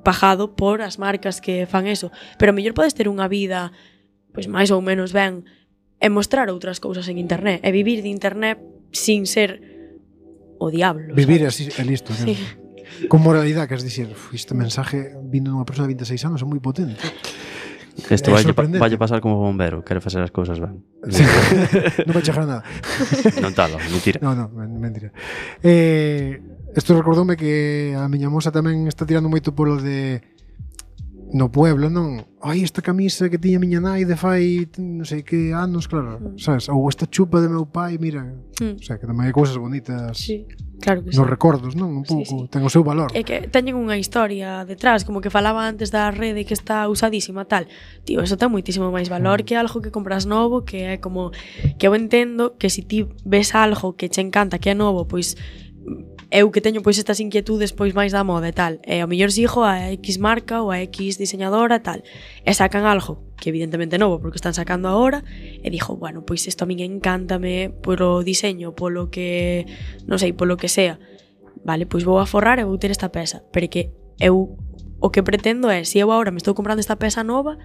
pagado por as marcas que fan eso. Pero a mellor podes ter unha vida pois máis ou menos ben e mostrar outras cousas en internet e vivir de internet sin ser o diablo. Vivir sabes? así é listo. Sí. Con moralidade, que es dicir, este mensaje vindo dunha persona de 26 anos é moi potente. Isto vai pasar como bombero, quere facer as cousas ben. Sí. Non vai chegar nada. Non talo, mentira. No, mentira. Isto recordoume que a miña moza tamén está tirando moito polo de no pueblo, non? Ai, esta camisa que tiña miña nai de fai non sei que anos, claro, sabes? Ou esta chupa de meu pai, mira. O sea, que tamén hai cousas bonitas. Sí, claro que sí. Nos recordos, non? Un pouco, ten o seu valor. É que teñen unha historia detrás, como que falaba antes da rede que está usadísima, tal. Tío, eso ten moitísimo máis valor que algo que compras novo, que é como que eu entendo que se ti ves algo que che encanta, que é novo, pois eu que teño pois estas inquietudes pois máis da moda e tal, e ao mellor sigo a X marca ou a X diseñadora tal, e sacan algo que evidentemente novo porque están sacando agora, e dixo, bueno, pois isto a min encántame polo diseño, polo que non sei, polo que sea. Vale, pois vou a forrar e vou ter esta peza, pero que eu o que pretendo é, se eu agora me estou comprando esta peza nova,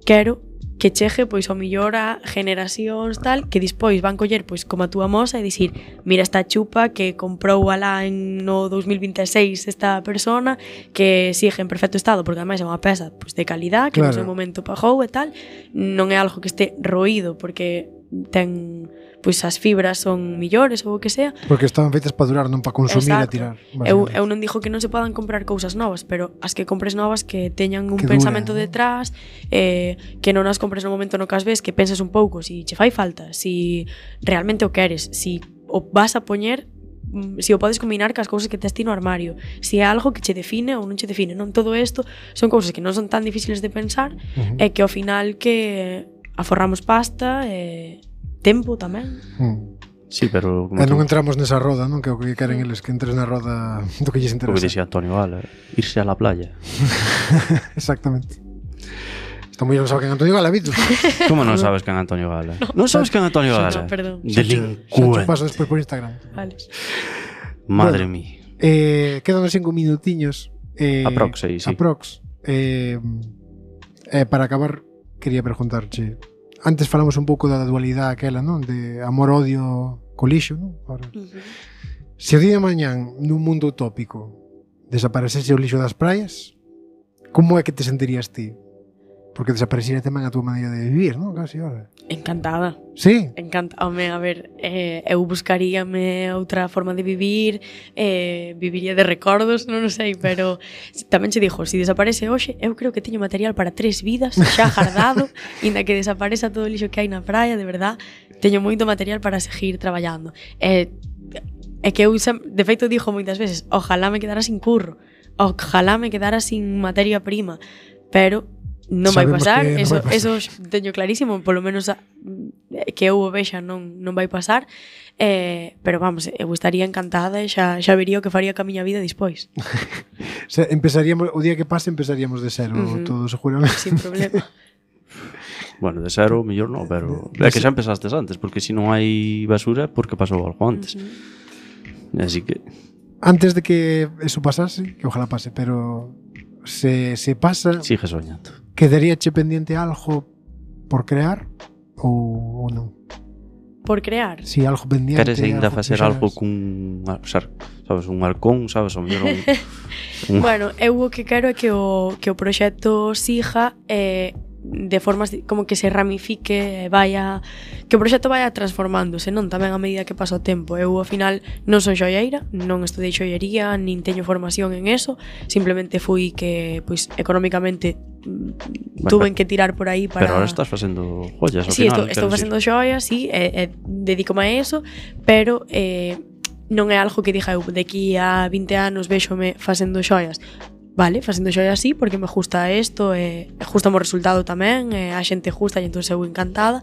quero que chegue pois ao millor a generacións tal que despois van coller pois como a túa moza e dicir, mira esta chupa que comprou alá no 2026 esta persona que sigue en perfecto estado porque ademais é unha peza pois de calidad que no seu momento pagou e tal, non é algo que este roído porque ten pois as fibras son millores ou o que sea. Porque estaban feitas para durar, non para consumir e tirar. Eu non digo que non se podan comprar cousas novas, pero as que compres novas que teñan un que pensamento dure, detrás, que non as compres no momento no que as ves, que penses un pouco si che fai falta, si realmente o queres, si o vas a poñer, si o podes combinar cas cousas que tes ti no armario, si é algo que che define ou non che define. Non, todo isto son cousas que non son tan difíciles de pensar e que ao final que aforramos pasta e tempo tamén. Sí, pero e non entramos nesa roda, non? Que o que queren eles que entres na roda do que lles interesa. O que dixía Antonio Gala, irse a la playa. Exactamente. Está moi non sabe quen Antonio Gala, Vitor. Como non sabes quen Antonio Gala? Non sabes quen Antonio Gala? No, perdón. Delincuente. Xa paso despois por Instagram. Vale. Madre mía. Quedan 5 minutiños. Aprox, sí. Aprox. Para acabar, quería preguntarche. Antes falamos un pouco da dualidade aquela, non? De amor-odio co lixo, non? Ahora. Se o día de mañán, nun mundo utópico, desaparecese o lixo das praias, como é que te sentirías ti? Porque desapareciera tamén a túa maneira de vivir, non? Casi, ahora. Encantada. Sí? Home, a ver, eu buscaríame outra forma de vivir, viviría de recordos, non sei, pero tamén che dixo, se desaparece hoxe, eu creo que teño material para 3 vidas xa guardado, inda que desapareza todo o lixo que hai na praia, de verdad, teño moito material para seguir traballando. É que eu, de feito, dixo moitas veces, ojalá me quedara sin curro, ojalá me quedara sin materia prima, pero non vai pasar, eso teño clarísimo, polo menos que eu o vexa non vai pasar, pero vamos, eu estaría encantada e xa vería o que faría ca miña vida despois. Empezaríamos, o día que pase empezaríamos de cero, todo seguramente. Sin problema. Bueno, de cero, mellor non, pero é que xa empezastes antes, porque se non hai basura, porque pasou algo antes. Así que antes de que eso pasase, que ojalá pase, pero se pasa, sigue soñando. Quedaríache pendiente algo por crear ou non? Por crear? Si, algo pendiente. Queres ainda facer algo cun, sabes, un halcón, sabes, o mellor Bueno, eu o que quero é que o proxecto siga de formas como que se ramifique, que o proxecto vaya transformándose, non? Tamén a medida que pasa o tempo. Eu, ao final, non son xoieira, non estudei xoiería, nin teño formación en eso, simplemente fui que, pois, económicamente tuven que tirar por aí para... Pero ahora estás facendo joyas, ao sí, final. Estou facendo xoias, sí, dedícome a eso, pero non é algo que diga eu, de aquí a 20 anos véxome facendo xoias. Vale, facendo xoias así, porque me gusta isto, gusta o resultado tamén, a xente gusta e entón eu encantada,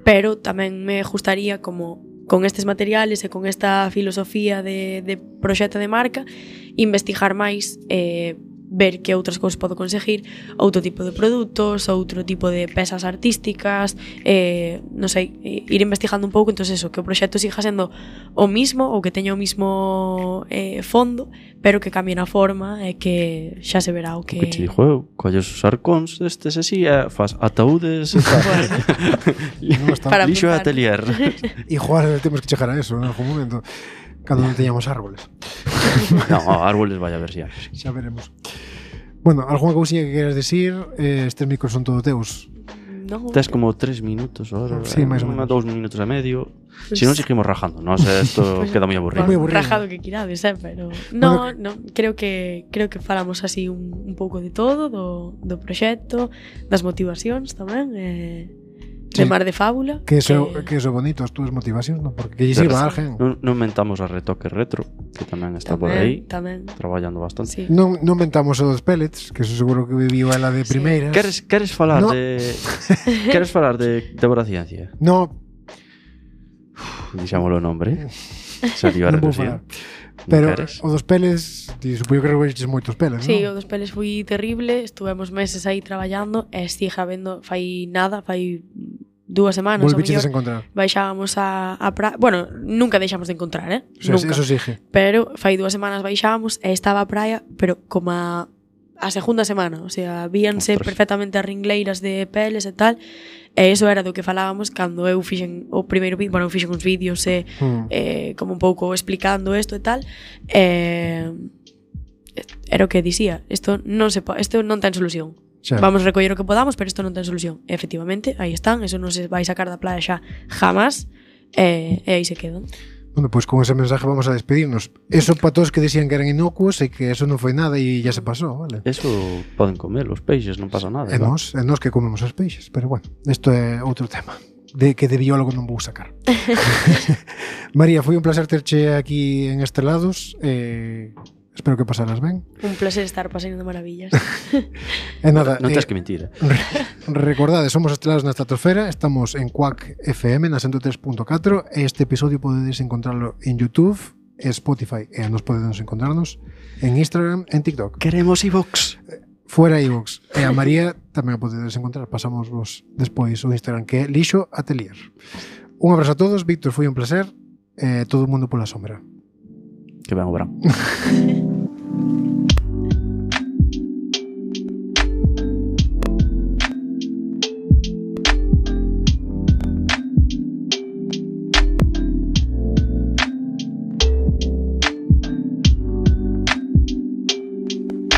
pero tamén me gustaría como con estes materiales e con esta filosofía de proxecto de marca investigar máis ver que outras cousas podo conseguir, outro tipo de produtos, outro tipo de pesas artísticas, non sei, ir investigando un pouco, entón eso, que o proxecto siga sendo o mismo ou que teña o mismo fondo, pero que cambie na forma e que xa se verá o que... O que te dixo eu, colles os arcóns destes así e faz ataúdes e tal. Para Lixo e apuntar. atelier. E jugar, temos que chegar a eso en algún momento, cando non teñamos árboles. No, árboles vai a ver si hai. Xa veremos. Bueno, algunha cousinha que queras decir? Estes micros son todos teus. No, Tes como 3 minutos ahora, Sí, máis ou menos. 2 minutos e medio. Si non seguimos rajando, non sei, isto queda moi aburrido. Moi aburrido. Rajado que quirades, pero no, creo que falamos así un pouco de todo, do proxecto, das motivacións tamén, de Mar de Fábula. Que eso bonito, as túas motivacións, non? Porque que lles iba a alguén. Non mentamos a Retoque Retro, que tamén está por aí, Tamén. traballando bastante. Sí. Non mentamos o dos pellets, que eso seguro que viviu ela de primeiras. Queres falar No. Queres falar de Débora Ciencia? No, Dixámoslo o nombre. Salió a non vou reducir. falar. Pero Queres? o dos peles, supoño que recolleches moitos peles, Sí, non? o dos peles foi terrible, estuvemos meses aí traballando e sigue habendo, fai 2 semanas ao Volviches a mellor, encontrar. baixábamos a praia, bueno, nunca deixamos de encontrar, O sea, nunca. eso sigue. Pero fai 2 semanas baixábamos e estaba a praia, pero como a segunda semana, o sea, víanse Ostras. perfectamente as ringleiras de peles e tal, e iso era do que falábamos cando eu fixen o primeiro vídeo, bueno, eu fixen uns vídeos como un pouco explicando isto e tal, era o que dicía, isto non ten solución. Xa. Vamos recoller o que podamos, pero isto non ten solución. E, efectivamente, aí están, eso non se vai sacar da playa xa jamás, e aí se quedan. Bueno, pois con ese mensaje vamos a despedirnos. Eso para todos que decían que eran inocuos e que eso non foi nada e ya se pasou, vale? Eso poden comer os peixes, non pasa nada. É claro. nós que comemos os peixes, pero bueno, isto é outro tema que de biólogo non vou sacar. María, foi un placer terche aquí en Estelados. Espero que pasaras ben. Un placer estar pasando de maravillas. E nada, Non tens que mentir. recordade, somos Estelados na Estratosfera, estamos en Quack FM na 103.4 e este episodio podedes encontrarlo en YouTube, Spotify e nos podedes encontrarnos en Instagram, en TikTok. Queremos iVox. Fuera iVoox. E a María tamén a podedes encontrar. Pasamos vos despois o Instagram, que é Lixo Atelier. Un abrazo a todos, Víctor, foi un placer. Todo o mundo pola sombra. Que ben o verán.